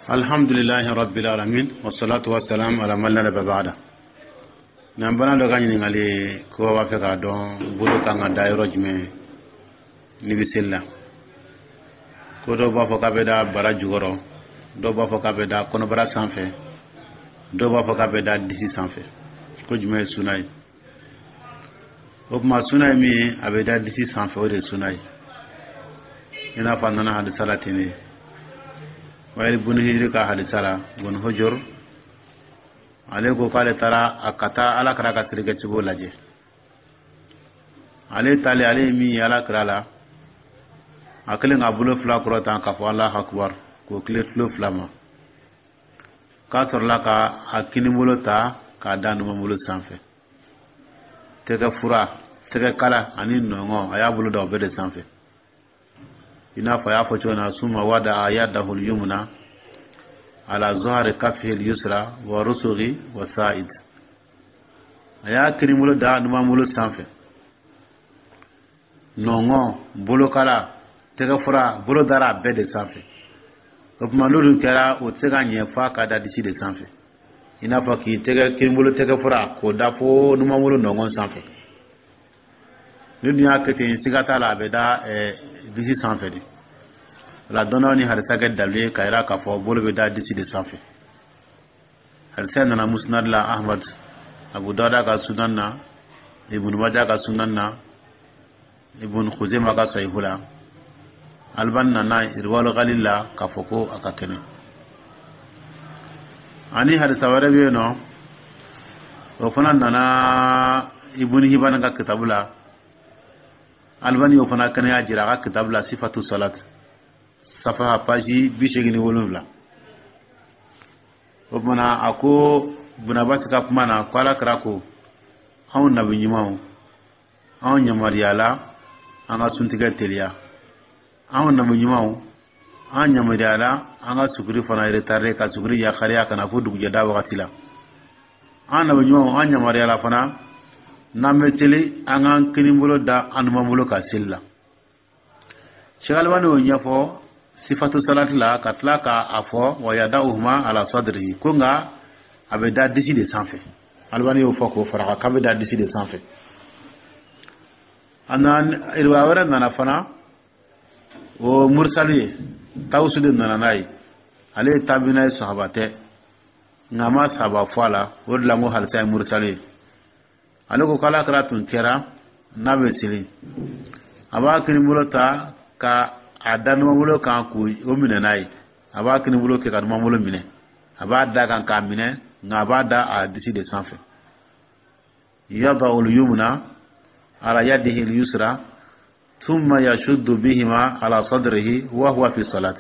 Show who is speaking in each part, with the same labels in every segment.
Speaker 1: Alhamdulilahi rabbil alamin, wassalatu wassalam ala man la nabiyya ba'da. N'an bana dɔ ka ɲininkali ko b'a fɛ k'a dɔn bolo kan ka da yɔrɔ jumɛn n'i bɛ seli la. Ko dɔw b'a fɔ k'a bɛ da bara jukɔrɔ, dɔw b'a fɔ k'a bɛ da kɔnɔbara sanfɛ, dɔw b'a fɔ k'a bɛ da disi sanfɛ. Ko jumɛn ye suna ye? O tuma, suna ye min ye, a bɛ da disi sanfɛ, o de ye suna ye, i n'a fɔ a nana hadisa la ten de. Wayili bun Hijiri ka hadisa la, bun Hujur, ale ko k'ale taara a ka taa Ala kira ka selikɛcogo lajɛ. Ale taalen, ale ye min ye Ala kira la, a kɛlen k'a bolo fila kɔrɔtan k'a fɔ Alahu akubar, k'o tile tulo fila ma, k'a sɔrɔla ka a kinibolo ta k'a da numanbolo sanfɛ, tɛgɛ fura, tɛgɛ kala ani nɔngɔn, a y'a bolo da o bɛɛ de sanfɛ, i n'a fɔ a y'a fɔ cogo min na: summa wada'a yadahu al-yumna ala zahari kafihi al-yusra wa rusughi wa sa'id. A y'a kinibolo da numanbolo sanfɛ, nɔngɔn, bolokala, tɛgɛ fura, bolo dara a bɛɛ de sanfɛ. O tuma, n'olu kɛra, o tɛ se ka ɲɛ f'a ka da disi de sanfɛ, i n'a fɔ k'i tɛgɛ kinibolo tɛgɛ fura k'o da fo numanbolo nɔngɔn sanfɛ. Ni dun y'a kɛ ten, siga t'a la, a bɛ da disi sanfɛ de. O la, dɔnniyaw ni hadisa kɛ dalilu ye k'a jira k'a fɔ bolo bɛ da disi de sanfɛ. Hadisa nana Musnad la Ahmad, Abu Dawuda ka sunan na, Ibn Majah ka sunan na, Ibn Khuzaimah ka sahihu la. Albani nana Irwal Ghalil la k'a fɔ ko a ka kɛnɛ. Ani hadisa wɛrɛ bɛ yen nɔ, o fana nana Ibn Hibban ka kitabu la. Albani y'o fana kɛnɛya jira a ka kitabu la, Sifatu Salat, safaha page 87. O kumana, a ko Bunabasi ka kuma na ko Ala kira ko: anw nabi ɲumanw, anw yamaruyala an ka suntigɛ teliya. Anw nabi ɲumanw, an yamaruyala an ka suguri fana retardé, ka suguri yakariya ka na fo dugujɛda wagati la. An nabi ɲumanw, an yamaruyala fana, n'an bɛ seli, an k'an kinibolo da an numanbolo ka seli la. Cheikh Albani y'o ɲɛfɔ Sifatu Salati la, ka tila k'a fɔ wa yada'uhuma ala sadrihi, ko nka a bɛ da disi de sanfɛ. Albani y'o fɔ k'o fara k'a bɛ da disi de sanfɛ. A nana, riwaya wɛrɛ nana fana, o mursali ye, Tawusu de nana n'a ye. Ale ye tabina ye, sahaba tɛ, nka a ma sahaba fɔ a la. O de la n ko hadisa ye mursali ye. Ale ko k'Ala kira tun kɛra, n'a bɛ seli, a b'a kinibolo ta ka a da numanbolo kan k'o minɛ n'a ye. A b'a kinibolo kɛ ka numanbolo minɛ, a b'a da kan k'a minɛ, nka a b'a da a disi de sanfɛ. Yada'u al-yumna ala yadihi al-yusra thumma yashuddu bihima ala sadrihi wa huwa fi salat.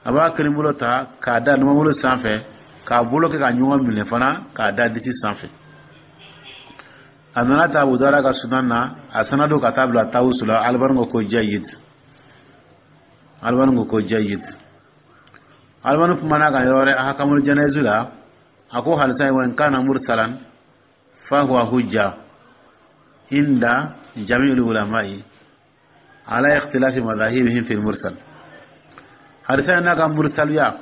Speaker 1: A b'a kinibolo ta k'a da numanbolo sanfɛ, k'a bolo kɛ ka ɲɔgɔn minɛ fana, k'a da disi sanfɛ. A nana ta Abu Dawuda ka sunan na, a sanadu ka taa bila Tawusu la. Albani ko ko jayyid. Albani ko ko jayyid. Albani kumana kan yɔrɔ wɛrɛ, Ahkamul Janayiz la, a ko hadisa wa in kana mursalan fa huwa hujja inda jami'il ulama'i ala ikhtilafi madahibihim fil mursal. Hadisa n'a ka mursaliya,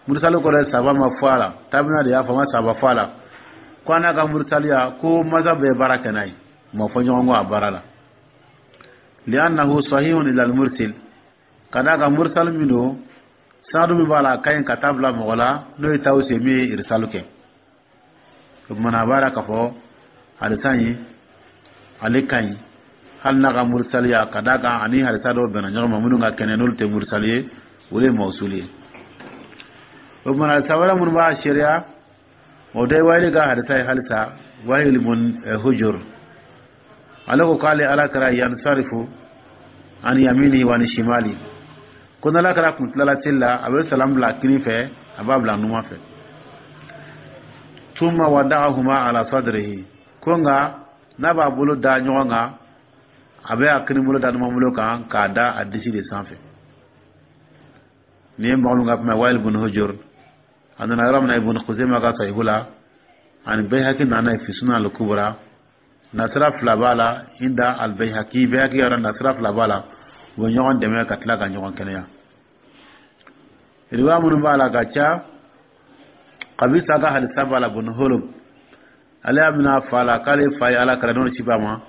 Speaker 1: mursalu kɔrɔ ye saba ma fɔ a la, tabina de y'a fɔ, ma saba fɔ a la, ko a n'a ka mursaliya, ko masa bɛɛ baara kɛ n'a ye, ma fɔ ɲɔgɔn kɔ a baara la. Li'annahu sahihun ila al-mursil, ka d'a kan mursal min don, sanadu min b'a la, a ka ɲi ka taa bila mɔgɔ la, n'o ye Tawusi ye min ye irsalu kɛ. O kumana, a b'a la k'a fɔ hadisa in, ale ka ɲi hali n'a ka mursaliya, ka d'a kan ani hadisa dɔw bɛnna ɲɔgɔn ma minnu ka kɛnɛ, n'olu tɛ mursali ye, olu ye mawsuli ye. O kumana, hadisa wɛrɛ minnu b'a seereya, o dɔ ye Wayili ka hadisa ye halisa. Wayili bun Hujur, ale ko k'ale Ala kɛra yansarifu an yamini wa ni shimali, ko n'Ala kɛra kun tilala seli la, a bɛ salam bila kini fɛ, a b'a bila numan fɛ. Tuma wada'ahuma ala sadrihi, ko nka n'a b'a bolo da ɲɔgɔn kan, a bɛ a kini bolo da numan bolo kan k'a da a disi de sanfɛ. Nin ye mɔgɔ min ka kuma, Wayil bun Hujur. A nana yɔrɔ min na, Ibn Khuzaimah ka sahihu la, ani Bayhaqi nana fi Sunan al-Kubra. Nasira fila b'a la inda al-Bayhaqi. Bayhaqi yɔrɔ, nasira fila b'a la, u bɛ ɲɔgɔn dɛmɛ ka tila ka ɲɔgɔn kɛnɛya. Riwaya minnu b'a la ka ca, Kabisa ka hadisa b'a la, bun Holub, ale y'a mina fa la k'ale fa ye Ala kira n'o ci b'a ma,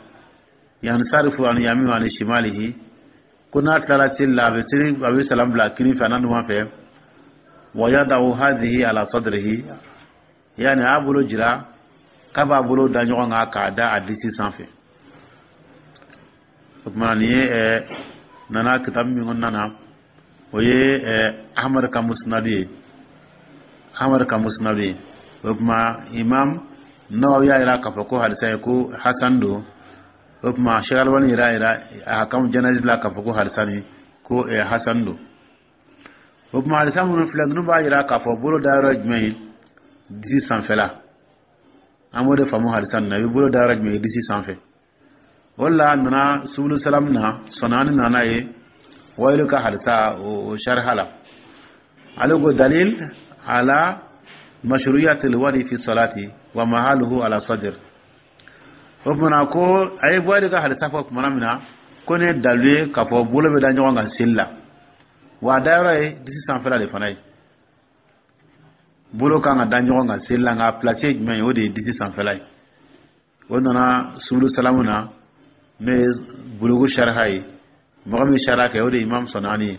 Speaker 1: yansarifu an yamini ani shimalihi, ko n'a tilala seli la, a bɛ seli, a bɛ salam bila kini fɛ a n'a numan fɛ, wa yada'u hadhihi ala sadrihi, yani a bolo jira k'a b'a bolo da ɲɔgɔn kan k'a da a disi sanfɛ. O tuma nin ye nana kitabu min kɔnɔna na, o ye Ahmad ka musnad ye, Ahmad ka musnad ye. O tuma Imam Nawawi y'a jira k'a fɔ ko hadisa ye ko hasan don. O tuma Sheikh Albani yɛrɛ y'a jira ahkamu janayiz la k'a fɔ ko hadisa nin ko hasan don. O tuma hadisa minnu filɛ, ninnu b'a jira k'a fɔ bolo dayɔrɔ ye jumɛn ye? Disi sanfɛla. An b'o de faamu hadisa nin na. I bɛ bolo dayɔrɔ jumɛn ye? Disi sanfɛ. O de la a nana subulu salam na, Sɔnani nana ye Wayilu ka hadisa o sariha la. Ale ko dalil ala mashru'iyatil wadi fi salati wa mahaluhu ala sadr. O tuma ko a ye Wayilu ka hadisa fɔ tuma min na ko ne ye dalilu ye k'a fɔ bolo bɛ da ɲɔgɔn kan seli la, wa a dayɔrɔ ye disi sanfɛla de fana ye. Bolo kan ka da ɲɔgɔn kan seli la, nka a place ye jumɛn ye? O de ye disi sanfɛla ye. O nana subulu salamu na, n'o ye bulugu sariha ye. Mɔgɔ min sariya kɛ, o de ye Imam Sɔnani ye.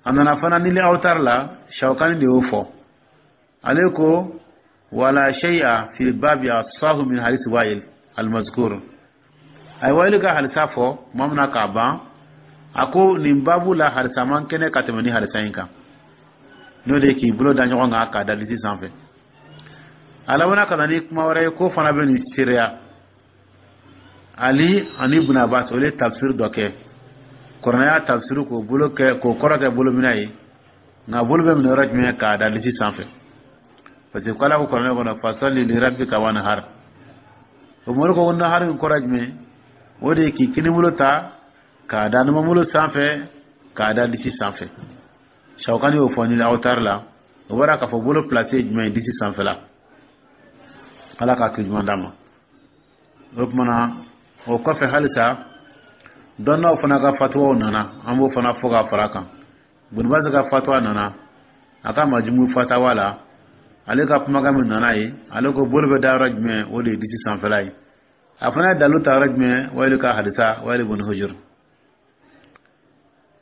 Speaker 1: A nana fana nili awtar la, Shawkani de y'o fɔ. Ale ko wala shay'a fi babi asahu min hadisi Wa'il al-mazkur. A ye Wa'il ka hadisa fɔ tuma min na k'a ban, a ko nin babu la hadisa man kɛnɛ ka tɛmɛ ni hadisa in kan, n'o de ye k'i bolo da ɲɔgɔn kan k'a da disi sanfɛ. A labanna ka na ni kuma wɛrɛ ye k'o fana bɛ nin seereya. Ali ani Ibn Abbas, olu ye tafsir dɔ kɛ, kuranɛ y'a tafsir k'o bolo kɛ k'o kɔrɔ kɛ bolominɛ ye, nka bolo bɛ minɛ yɔrɔ jumɛn? K'a da disi sanfɛ, parce que k'Ala ko kuranɛ kɔnɔ fasalli li rabbika wanhar. O mori ko nahar in kɔrɔ jumɛn? O de ye k'i kinibolo ta k'a da numanbolo sanfɛ k'a da disi sanfɛ. Shawkani y'o fɔ ni awtar la. O bɔra k'a fɔ bolo place ye jumɛn ye? Disi sanfɛla. Ala k'a kɛ ɲuman d'a ma. O tuma na o kɔfɛ, halisa dɔnnaw fana ka fatuwaw nana, an b'o fana fɔ ka fara kan. Bunubasi ka fatuwa nana a ka majumu fatawa la. Ale ka kumakan min nana ye, ale ko bolo bɛ da yɔrɔ jumɛn? O de ye disi sanfɛla ye. A fana ye dalu ta yɔrɔ jumɛn? Wayilu ka hadisa, Wayili bun Hujur.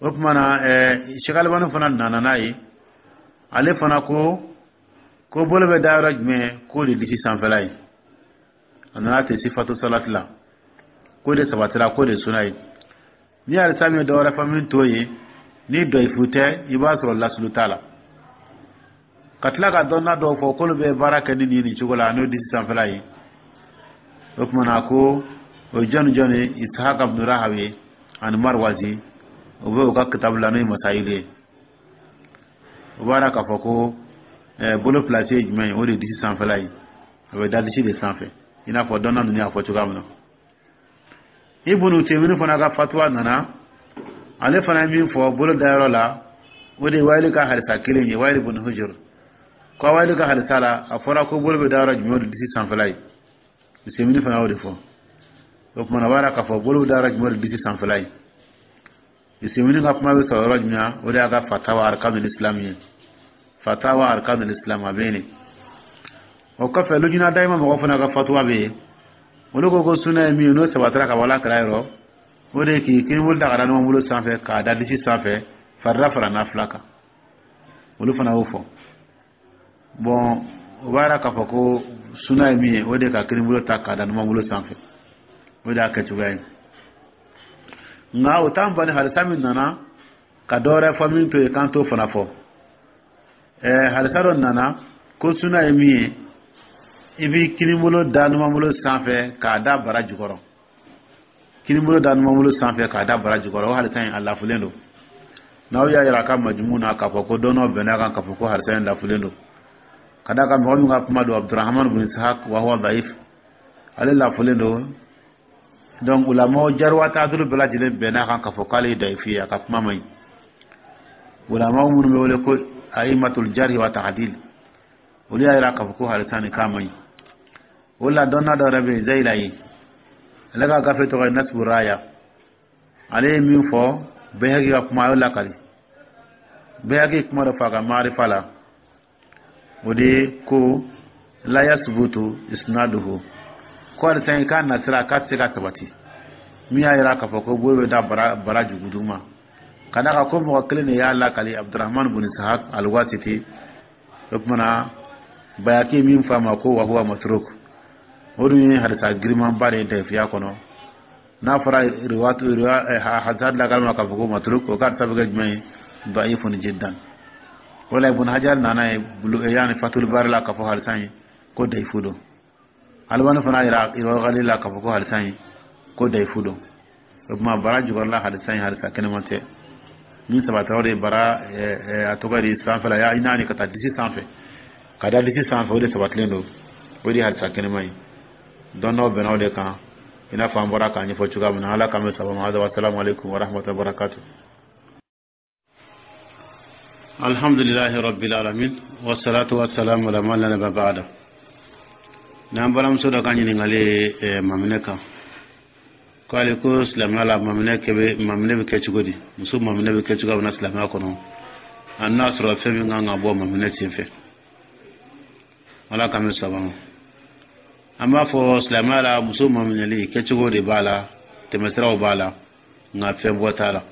Speaker 1: O tuma na Sheikh Albani fana nana n'a ye. Ale fana ko bolo bɛ da yɔrɔ jumɛn? K'o de disi sanfɛla ye. A nana ten sifatu salati la, k'o de sabatira, k'o de suna ye. Ni hadisa min ye dɔ wɛrɛ fɔ min t'o ye, ni dɔyifu tɛ, i b'a sɔrɔ lasulu t'a la. Ka tila ka dɔnna dɔw fɔ k'olu bɛ baara kɛ ni nin cogo la, n'o disi sanfɛla ye. O tuma na ko o ye jɔni jɔni ye? Ishaq ibn Rahawi ani Marwazi, o bɛ u ka kitabu la, n'o ye Masayilu ye. O b'a k'a fɔ ko bolo place ye jumɛn ye? O de ye disi sanfɛla ye. A bɛ da disi de sanfɛ, i n'a fɔ dɔnna ninnu y'a fɔ cogoya min na. Ibn Uthaymeen fana ka fatuwa nana. Ale fana ye min fɔ bolo dayɔrɔ la, o de ye Wayili ka hadisa kelen ye, Wayili bun Hujur. Ko Wayili ka hadisa la, a fɔra ko bolo bɛ da yɔrɔ jumɛn? O de disi sanfɛla ye. Uthaymeen fana y'o de fɔ. O tuma na o b'a yira k'a fɔ bolo bɛ da yɔrɔ jumɛn? O de disi sanfɛla ye. Uthaymeen ka kuma bɛ sɔrɔ yɔrɔ jumɛn? O de y'a ka fatawa arkanul islam ye, fatawa arkanul islam, a bɛ yen. O kɔfɛ, lujina dayima mɔgɔ fana ka fatuwa bɛ yen. Olu ko suna ye min ye, n'o sabatira ka bɔ Ala kira yɔrɔ, o de ye k'i kinibolo ta ka da numanbolo sanfɛ k'a da disi sanfɛ, farida fara nafila kan. Olu fana y'o fɔ. Bɔn, o b'a yira k'a fɔ ko suna ye min ye, o de ye ka kinibolo ta k'a da numanbolo sanfɛ, o de y'a kɛcogoya ye. Nka o t'an bali, hadisa min nana ka dɔ wɛrɛ fɔ min to yen, k'an t'o fana fɔ. Hadisa dɔ nana ko suna ye min ye, i b'i kinibolo da numanbolo sanfɛ k'a da bara jukɔrɔ, kinibolo da numanbolo sanfɛ k'a da bara jukɔrɔ. O hadisa in, a lafulen don. N'aw y'a yira a ka majumu na k'a fɔ ko dɔnnaw bɛnna kan k'a fɔ ko hadisa in lafulen don, ka d'a kan mɔgɔ min ka kuma don, Abdurahman bin Ishaq, wa huwa daif, ale lafulen don. Donc ulamaw jarh wa ta'dil bɛɛ lajɛlen bɛnna kan k'a fɔ k'ale ye dayifu ye, a ka kuma man ɲi. Ulamaw minnu bɛ wele ko a'imatul jarh wa ta'dil, olu y'a yira k'a fɔ ko hadisa nin k'a man ɲi. O la dɔnna dɔ yɛrɛ bɛ yen, Zayilayi, ale ka gafe tɔgɔ ye Nasbu Raya. Ale ye min fɔ, Bayhaqi ka kuma, a y'o lakali. Bayhaqi kuma dɔ fɔ a ka maarifa la, o de ye ko la yasbutu isnaduhu, ko halisa in k'a nasira k'a tɛ se ka sabati, min y'a yira k'a fɔ ko bolo bɛ da bara jugudu ma, ka d'a kan ko mɔgɔ kelen de y'a lakali, Abdurahman bun Sahak Alwasiti. O tuma na, Bayhaqi min fɔ a ma ko wa huwa matruk, o dun ye hadisa girimanba de ye dayifiya kɔnɔ. N'a fɔra riwatu hadisa lakali ma k'a fɔ ko matruk, o ka hadisa bɛ kɛ jumɛn ye? Da'ifun jiddan. O la, Ibn Hajar nana ye yani Fatul Bari la k'a fɔ hadisa in ko dayifu don. Albani fana yira Irwa la k'a fɔ ko hadisa in ko dayifu don. O tuma, bara jukɔrɔla hadisa in, hadisa kɛnɛman tɛ. Min sabatira, o de ye bara a tɔgɔ di sanfɛla ya naani ka taa disi sanfɛ, ka da disi sanfɛ, o de sabatilen don, o de ye hadisa kɛnɛman ye. Dɔnnaw bɛnna o de kan, i n'a fɔ an bɔra k'a ɲɛfɔ cogoya min na. Ala k'an bɛ saba ma. Hada, wasalamu alaikum wa rahmatullahi wa barakatuh. Alhamdulillahi rabbil alamin, wassalatu wassalamu ala man la nabiyya ba'da. N'an balimamuso dɔ ka ɲininkali ye maminɛ kan, ko ale ko silamɛya la, maminɛ kɛ bɛ, maminɛ bɛ kɛ cogo di? Muso maminɛ bɛ kɛ cogoya min na silamɛya kɔnɔ, a n'a sɔrɔ fɛn min kan ka bɔ maminɛ sen fɛ. Ala k'an bɛ saba ma. An b'a fɔ silamɛya la, muso maminɛli kɛcogo de b'a la, tɛmɛsiraw b'a la, nka fɛn bɔ t'a la,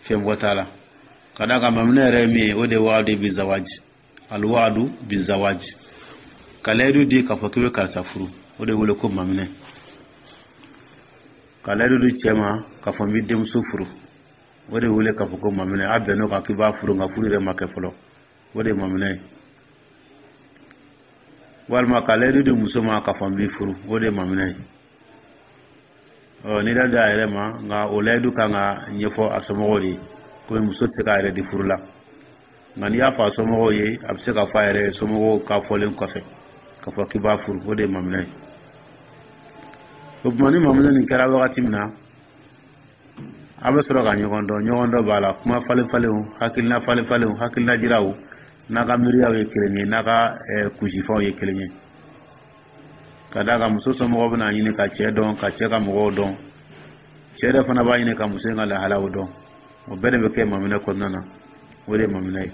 Speaker 1: fɛn bɔ t'a la. Ka d'a kan maminɛ yɛrɛ ye min ye, o de ye waadu bi zawaji, alwaadu bi zawaji, ka layidu di k'a fɔ k'i bɛ karisa furu, o de wele ko maminɛ. Ka layidu di cɛ ma k'a fɔ n b'i denmuso furu, o de wele k'a fɔ ko maminɛ. A bɛnn'o kan k'i b'a furu, nka furu yɛrɛ ma kɛ fɔlɔ, o de ye maminɛ ye. Walima ka layidu di muso ma k'a fɔ n b'i furu, o de ye maminɛ ye. Ɔ n'i da a yɛrɛ ma, nka o layidu kan ka ɲɛfɔ a somɔgɔw de ye, komi muso tɛ se k'a yɛrɛ di furu la. Nka n'i y'a fɔ a somɔgɔw ye, a bɛ se k'a fɔ a yɛrɛ ye somɔgɔw ka fɔlen kɔfɛ k'a fɔ k'i b'a furu, o de ye maminɛ ye. O tuma, ni maminɛ nin kɛra wagati min na, a bɛ sɔrɔ ka ɲɔgɔn dɔn. Ɲɔgɔn dɔn b'a la, kuma falen falenw, hakilina falen falenw, hakilina jiraw, n'a ka miiriyaw ye kelen ye, n'a ka kunsifɛnw ye kelen ye. Ka d'a kan muso somɔgɔw bɛna ɲini ka cɛ dɔn, ka cɛ ka mɔgɔw dɔn, cɛ yɛrɛ fana b'a ɲini ka muso in ka lahalaw dɔn. O bɛɛ de bɛ kɛ maminɛ kɔnɔna na, o de ye maminɛ ye.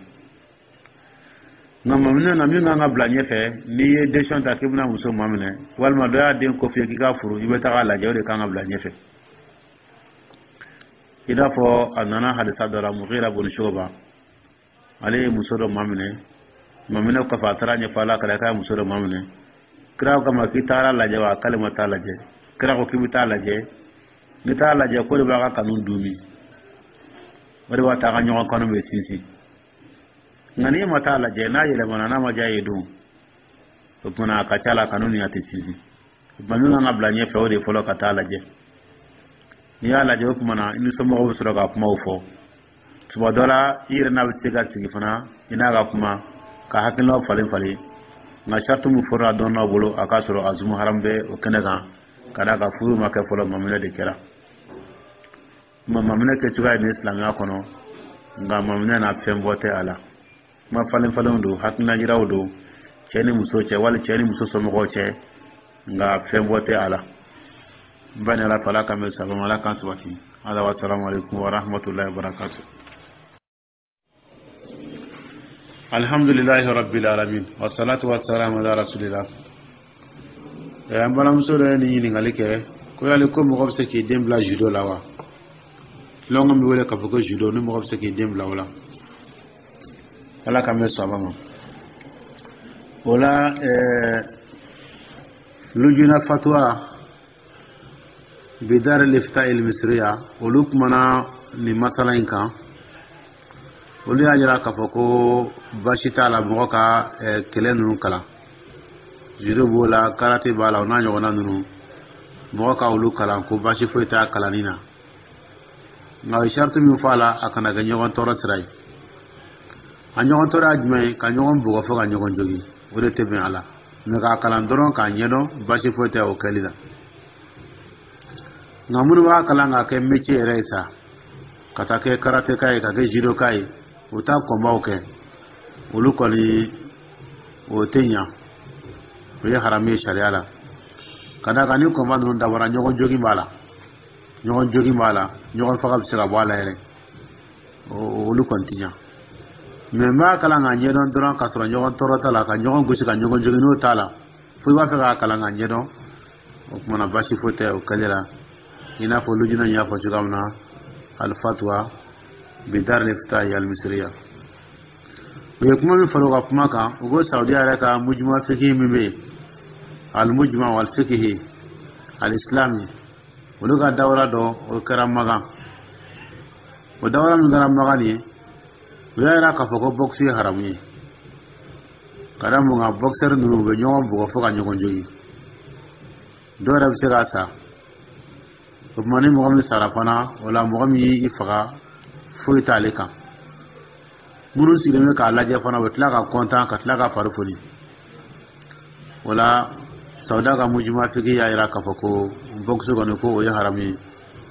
Speaker 1: Nka maminɛ na, min kan ka bila ɲɛfɛ, n'i ye décision ta k'i bɛna muso maminɛ, walima dɔ y'a den ko f'i ye k'i k'a furu, i bɛ taga a lajɛ, o de kan ka bila ɲɛfɛ. I n'a fɔ a nana hadisa dɔ la, Mughira bun Shuba, ale ye muso dɔ maminɛ. Maminɛ kɔfɛ, a taara ɲɛfɔ Ala kira k'a ye muso dɔ maminɛ. Kira ko kama k'i taara lajɛ wa? K'ale ma taa lajɛ. Kira ko k'i bɛ taa lajɛ. N'i taara lajɛ, ko de b'a ka kanu dumi, o de b'a to a ka ɲɔgɔn kanu bɛ sinsin. Nka n'i ma taa lajɛ, n'a yɛlɛmana, n'a ma diya ye don, o tuma a ka ca la kanu ni a tɛ sinsin. O tuma, min kan ka bila ɲɛfɛ, o de fɔlɔ ka taa lajɛ. N'i y'a lajɛ, o tuma na i ni somɔgɔw bɛ sɔrɔ ka kumaw fɔ. Tuma dɔ la, i yɛrɛ n'a bɛ se ka sigi fana, i n'a ka kuma ka hakilinaw falen falen. Nka sariti min fɔra dɔnnaw bolo, a k'a sɔrɔ azumu haram bɛ o kɛnɛ kan, ka d'a kan furu ma kɛ fɔlɔ, maminɛ de kɛra. Kuma maminɛ kɛcogoya ye nin silamɛya kɔnɔ, nka maminɛ na, fɛn bɔ tɛ a la. Kuma falen falenw don, hakilina jiraw don cɛ ni muso cɛ, wali cɛ ni muso somɔgɔw cɛ, nka fɛn bɔ tɛ a la. N ba ni Ala fɛ, Ala k'an bɛ sabama, Ala k'an sabati. Ala wa salamu alaikum wa rahmatullahi wa barakatuh. Alhamdulillahi rabbil alamin, wa salatu wa salamu ala rasulillah. An balimamuso dɔ ye nin ɲininkali kɛ ko yali ko mɔgɔ bɛ se k'i den bila judo la wa? Tulonŋ min bɛ wele k'a fɔ ko judo, ni mɔgɔ bɛ se k'i den bila o la. Ala k'an bɛ saba ma. O la, lujuna fatwa bidar lifta il misriya, olu kumana nin masala in kan. Olu y'a jira k'a fɔ ko baasi t'a la mɔgɔ ka kɛlɛ ninnu kalan, judo b'o la, karate b'a la, o n'a ɲɔgɔnna ninnu, mɔgɔ ka olu kalan, ko baasi foyi t'a kalanni na. Nka o ye sariti min fɔ a la, a kana kɛ ɲɔgɔn tɔɔrɔ sira ye. A ɲɔgɔn tɔɔrɔ ye jumɛn ye? Ka ɲɔgɔn bugɔ fo ka ɲɔgɔn jogin, o de tɛ bɛn a la. Mɛ k'a kalan dɔrɔn k'a ɲɛdɔn, baasi foyi tɛ o kɛli la. Nka minnu b'a kalan k'a kɛ métier yɛrɛ ye sa, ka taa kɛ karateka ye, ka kɛ judoka ye, o t'a kɔnbaw kɛ, olu kɔni o tɛ ɲa, o ye haramu ye sariya la. Ka d'a kan ni kɔnba ninnu dabɔra, ɲɔgɔn jogin b'a la, ɲɔgɔn jogin b'a la, ɲɔgɔn faga bɛ se ka bɔ a la yɛrɛ. O Olu kɔni ti ɲa. Mɛ n b'a kalan k'a ɲɛdɔn dɔrɔn k'a sɔrɔ ɲɔgɔn tɔɔrɔ t'a la, ka ɲɔgɔn gosi, ka ɲɔgɔn jogin, n'o t'a la, fo i b'a fɛ k'a kalan k'a ɲɛdɔn, o tuma na baasi foyi tɛ o kɛli la, i n'a fɔ lujina y'a fɔ cogoya min na, alifatuwa bidar liftahi almisiriya. U ye kuma min fara u ka kuma kan, u ko Saudiya yɛrɛ ka mujuma fikihi min bɛ yen, almujma wal fikihi alislami, olu ka dawura dɔ o kɛra Magan. O dawura min kɛra Magan nin ye, u y'a yira k'a fɔ ko bɔkisi ye haramu ye, ka da mun kan? Boxeur ninnu, u bɛ ɲɔgɔn bugɔ fo ka ɲɔgɔn jogin, dɔw yɛrɛ bɛ se ka sa. O tuma ni mɔgɔ min sara fana, o la mɔgɔ min y'i faga, foyi t'ale kan. Minnu sigilen bɛ k'a lajɛ fana, u bɛ tila ka kɔntan, ka tila ka fari foni. O la Sawuda ka mujuma fiki y'a yira k'a fɔ ko bɔkisi kɔni, ko o ye haramu ye,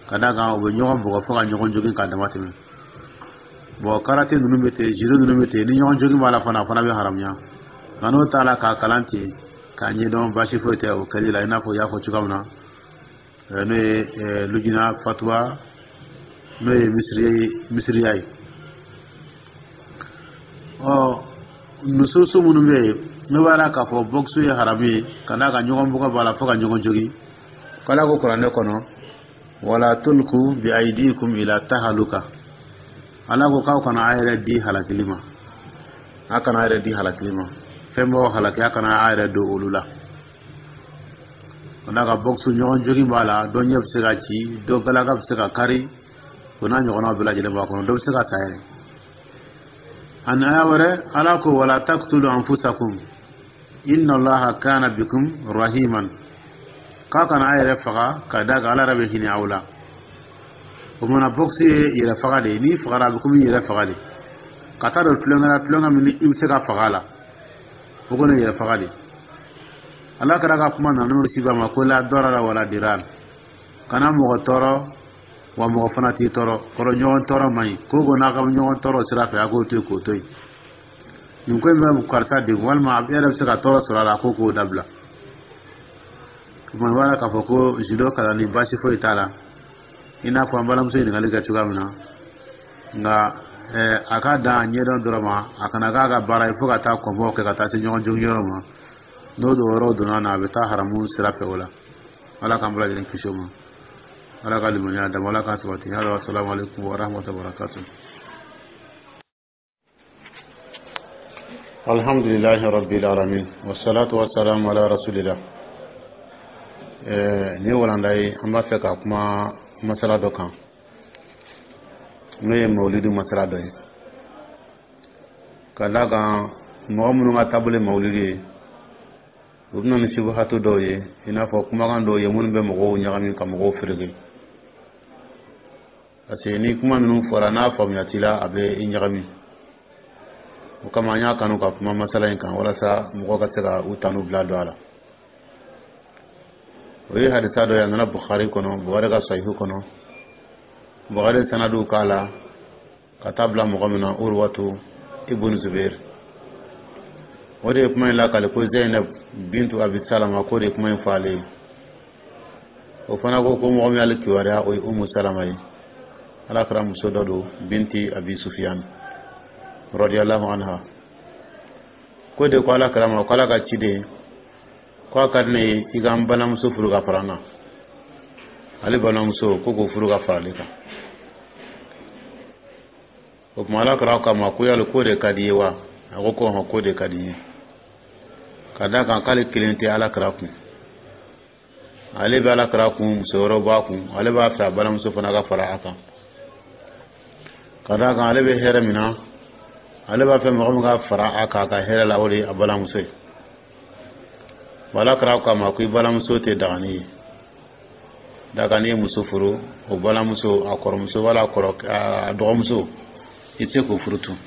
Speaker 1: ka d'a kan u bɛ ɲɔgɔn bugɔ fo ka ɲɔgɔn jogin k'a dama tɛmɛ. Bɔn, karate ninnu bɛ ten, judo ninnu bɛ ten, ni ɲɔgɔn jogin b'a la fana, a fana bɛ haramuya. Nka n'o t'a la, k'a kalan ten k'a ɲɛdɔn, baasi foyi tɛ o kɛli la, i n'a fɔ i y'a fɔ cogoya min na, n'o ye lujina fatuwa, n'o ye misiriya ye. Ɔ, nususu minnu bɛ yen, n'o b'a la k'a fɔ bɔkisi ye haramu ye, ka d'a kan ɲɔgɔn bugɔ b'a la fo ka ɲɔgɔn jogin, k'Ala ko Kuranɛ kɔnɔ: "Wala tulku bi aidikum ila tahaluka." Ala ko k'aw kana a yɛrɛ di halakili ma, a kana a yɛrɛ di halakili ma. Fɛn b'aw halaki, a kana a yɛrɛ don olu la. Ka d'a kan bɔkisi, ɲɔgɔn jogin b'a la, dɔ ɲɛ bɛ se ka ci, dɔ galaka bɛ se ka kari, o n'a ɲɔgɔnnaw bɛɛ lajɛlen b'a kɔnɔ, dɔ bɛ se ka sa yɛrɛ. Ani aya wɛrɛ, Ala ko: "Wala taktulu anfusakum inna Allaha kana bikum rahiman." K'a kana a yɛrɛ faga, ka d'a kan Ala yɛrɛ bɛ hinɛ aw la. O mana bɔkisi ye yɛrɛ faga de ye. N'i fagara, a bɛ komi yɛrɛ faga de, ka taa don tulonkɛ la, tulonkɛ min i bɛ se ka faga a la, o kɔni ye yɛrɛ faga de. Ala kɛra ka kuma nana n'o siba ma ko: "La darara wala dirar." Kana mɔgɔ tɔɔrɔ, wa mɔgɔ fana t'i tɔɔrɔ. Kɔrɔ, ɲɔgɔn tɔɔrɔ man ɲi. Ko ko n'a ka ɲɔgɔn tɔɔrɔ sira fɛ, a k'o to yen, k'o to yen. Nin ko in bɛ karisa degun, walima e yɛrɛ bɛ se ka tɔɔrɔ sɔrɔ a la, ko k'o dabila. O tuma, i b'a la k'a fɔ ko judo kalanni, baasi foyi t'a la, i n'a fɔ an balimamuso ɲininkali kɛ cogoya min na. Nka a ka dan a ɲɛdɔn dɔrɔn ma, a kana k'a ka baara ye fo ka taa kɔnbɔw kɛ, ka taa se ɲɔgɔn jogiyɔrɔ ma. N'o don yɔrɔ donna na, a bɛ taa haramu sira fɛ. O la, Ala k'an bɛɛ lajɛlen kisi o ma. Ala ka limaniya dama, Ala k'a sabati. Hali assalamu alaikum wa rahmatullahi wa barakatuh. Alhamdulillahi rabbil alamin, wassalatu wassalamu ala rasulillah. Nin ye walanda ye, an b'a fɛ ka kuma masala dɔ kan, n'o ye mawulidi masala dɔ ye, ka d'a kan mɔgɔ minnu ka taabolo ye mawulidi ye, u bɛna ni subuhatu dɔw ye, i n'a fɔ kumakan dɔw ye minnu bɛ mɔgɔw ɲagami, ka mɔgɔw fereke, parce que ni kuma ninnu fɔra, n'a faamuya t'i la, a bɛ i ɲagami. O kama an y'a kanu ka kuma masala in kan, walasa mɔgɔw ka se ka u tanu bila don a la. O ye hadisa dɔ ye, a nana Bukhari kɔnɔ, Bukhari ka Sahihu kɔnɔ. Bukhari sanadu k'a la ka taa bila mɔgɔ min na, Urwatu ibn Zubair, o de ye kuma in lakale ko Zainab bintu Abi Salama, k'o de ye kuma in fɔ ale ye. O fana ko ko mɔgɔ min y'ale kibaruya, o ye Umu Salama ye, Ala kɛra muso dɔ don, binti Abi Sufiyan radiyallahu anha. Ko de ko Ala kɛra ma ko Ala ka ciden, ko a ka di ne ye i ka n balimamuso furu ka fara n kan. Ale balimamuso, ko k'o furu ka fara ale kan. O tuma Ala kɛra k'a ma ko yali k'o de ka di i ye wa? A ko ko hɔn, k'o de ka di n ye, ka d'a kan k'ale kelen tɛ Ala kɛra kun, ale bɛ Ala kɛra kun, muso wɛrɛw b'a kun. Ale b'a fɛ a balimamuso fana ka fara a kan, ka d'a kan ale bɛ hɛrɛ min na, ale b'a fɛ mɔgɔ min ka fara a kan a ka hɛrɛ la, o de ye a balimamuso ye. Ala kɛra k'a ma ko i balimamuso tɛ daga ne ye. Daga n'i ye muso furu, o balimamuso, a kɔrɔmuso wala a kɔrɔ a dɔgɔmuso, i tɛ se k'o furu tun.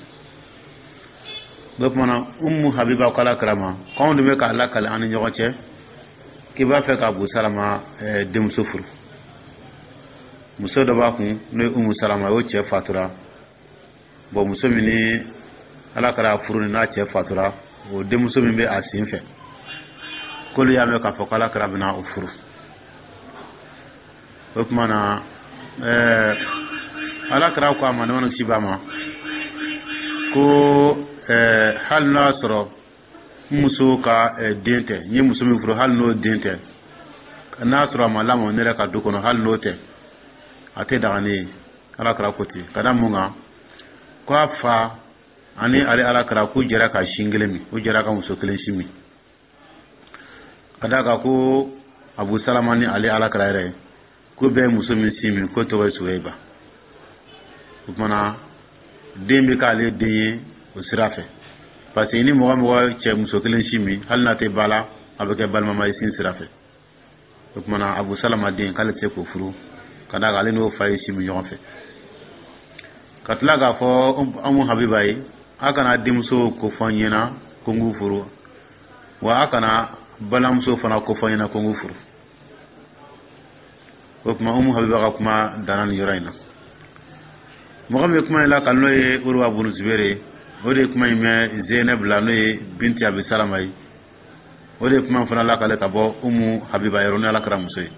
Speaker 1: O tuma na, Umu Habiba ko Ala kɛra ma k'anw de bɛ k'a lakale an ni ɲɔgɔn cɛ k'i b'a fɛ ka Abu Salama denmuso furu. Muso dɔ b'a kun, n'o ye Umu Salama, o cɛ fatura. Bɔn, muso min ni Ala kɛra furu ni n'a cɛ fatura, o denmuso min bɛ a sen fɛ, k'olu y'a mɛn k'a fɔ k'Ala kɛra bɛna o furu. O tuma na Ala kira ko a ma, nɛɛma ni kisi b'a ma, ko hali n'a sɔrɔ n muso ka den tɛ, n ye muso min furu, hali n'o den tɛ, n'a sɔrɔ a ma lamɔ ne yɛrɛ ka du kɔnɔ, hali n'o tɛ, a tɛ daga ne ye. Ala kira ko ten ka da mun kan? Ko a fa ani ale ala kira k'u jɛra ka sin kelen min, u jɛra ka muso kelen sin min, ka d'a kan ko Abu Salama ni ale ala kira yɛrɛ ko bɛɛ ye muso min sin min, k'o tɔgɔ ye Suweba. O kumana den bɛ k'ale den ye o sira fɛ, parce que ni mɔgɔ mɔgɔ cɛ muso kelen sin min, hali n'a tɛ ba la, a bɛ kɛ balimama ye sin sira fɛ. O kumana Abu Salama den, k'ale tɛ se k'o furu, ka d'a kan ale n'o fa ye sin min ɲɔgɔn fɛ. Ka tila k'a fɔ Umu Habiba ye: a kana denmuso ko fɔ n ɲɛna ko n k'u furu, wa a kana balimamuso fana ko fɔ n ɲɛna ko n k'u furu. O tuma Umu Habiba ka kuma danna nin yɔrɔ in na. Mɔgɔ min ye kuma in lakali, n'o ye Uruwa bunu Zubere ye, o de ye kuma in mɛn Zeynab la, n'o ye binti Abi Salama ye. O de ye kuma fana lakale ka bɔ Umu Habiba yɔrɔ, n'o Ala kira muso ye.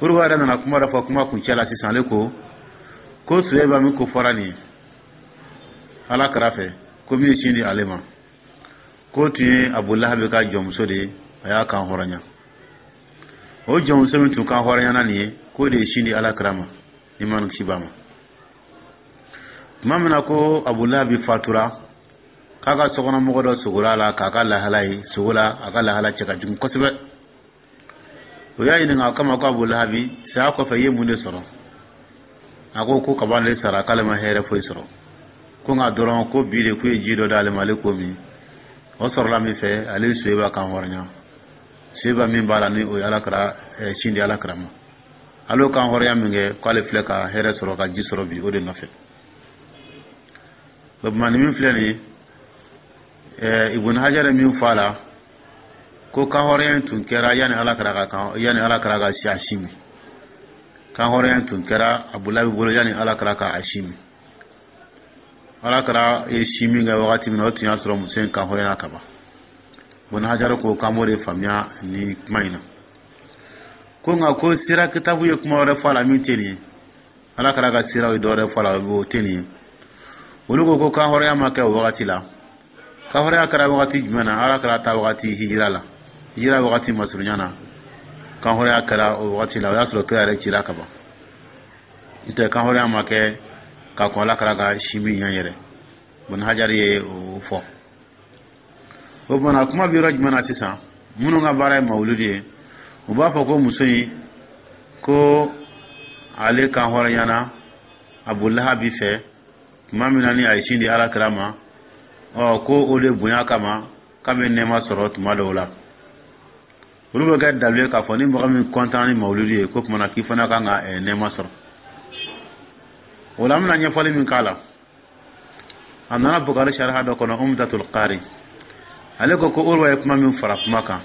Speaker 1: Uruwa yɛrɛ nana kuma dɔ fɔ kuma kuncɛ la sisan. Ale ko ko Suweba min ko fɔra nin ye Ala kira fɛ, ko min ye sin di ale ma, k'o tun ye Abu Lahabi ka jɔnmuso de ye, a y'a kan hɔrɔnya. O jɔnmuso min tun kan hɔrɔnyana nin ye, k'o de ye sin di Ala kira ma, nɛɛma ni kisi b'a ma. Tuma min na ko Abu Lahabi fatura, k'a ka sokɔnɔmɔgɔ dɔ sogora a la k'a ka lahala ye sogo la, a ka lahala cɛ ka jugu kosɛbɛ. O y'a ɲininka o kama ko Abu Lahabi saya kɔfɛ, i ye mun de sɔrɔ? A ko ko kaban de sara, k'ale ma hɛrɛ foyi sɔrɔ, ko nka dɔrɔn ko bi de k'u ye ji dɔ d'ale ma, ale k'o min. O sɔrɔla min fɛ, ale ye Suweba kan hɔrɔnya, Suweba min b'a la ni o ye Ala kira sin di Ala kira ma. Ale y'o kan hɔrɔnya min kɛ, k'ale filɛ ka hɛrɛ sɔrɔ, ka ji sɔrɔ bi, o de nɔfɛ. O tuma nin min filɛ nin ye, Ibn Hajar ye min fɔ a la, ko kan hɔrɔnya in tun kɛra yanni Ala kira ka kan, yanni Ala kira ka si a sin min. Kan hɔrɔnya in tun kɛra Abu Lahabi bolo yanni Ala kira ka a sin min. Ala kira ye sin min kɛ wagati min na, o tun y'a sɔrɔ muso in kan hɔrɔnya ka ban. Ibn Hajar ko k'an b'o de faamuya nin kuma in na. Ko nka ko sira kitabu ye kuma wɛrɛ fɔ a la min tɛ nin ye. Ala kira ka siraw ye dɔ wɛrɛ fɔ a la, o tɛ nin ye. Olu ko ko kan hɔrɔnya ma kɛ o wagati la. Kan hɔrɔnya kɛra wagati jumɛn na? Ala kira ta wagati, hijira la, hijira wagati masurunya na, kan hɔrɔnya kɛra o wagati la. O y'a sɔrɔ kira yɛrɛ cira ka ban. N'o tɛ, kan hɔrɔnya ma kɛ ka kɔn Ala kira ka sin min ɲɛ yɛrɛ. Ibn Hajar ye o fɔ. O tuma na kuma bɛ yɔrɔ jumɛn na sisan? Minnu ka baara ye mawuludi ye, u b'a fɔ ko muso in, ko ale kan hɔrɔnyana Abu Lahabi fɛ tuma min na ni a ye sin di Ala kira ma. Ɔ ko o de bonya kama k'a bɛ nɛɛma sɔrɔ tuma dɔw la. Olu bɛ kɛ dalu ye k'a fɔ ni mɔgɔ min kɔntan ni mawuludi ye, ko tuma na k'i fana kan ka nɛɛma sɔrɔ. O la an bɛna ɲɛfɔli min k'a la, a nana Bukari sariha dɔ kɔnɔ, Umdatul Qari. Ale ko ko Urwa ye kuma min fara kuma kan,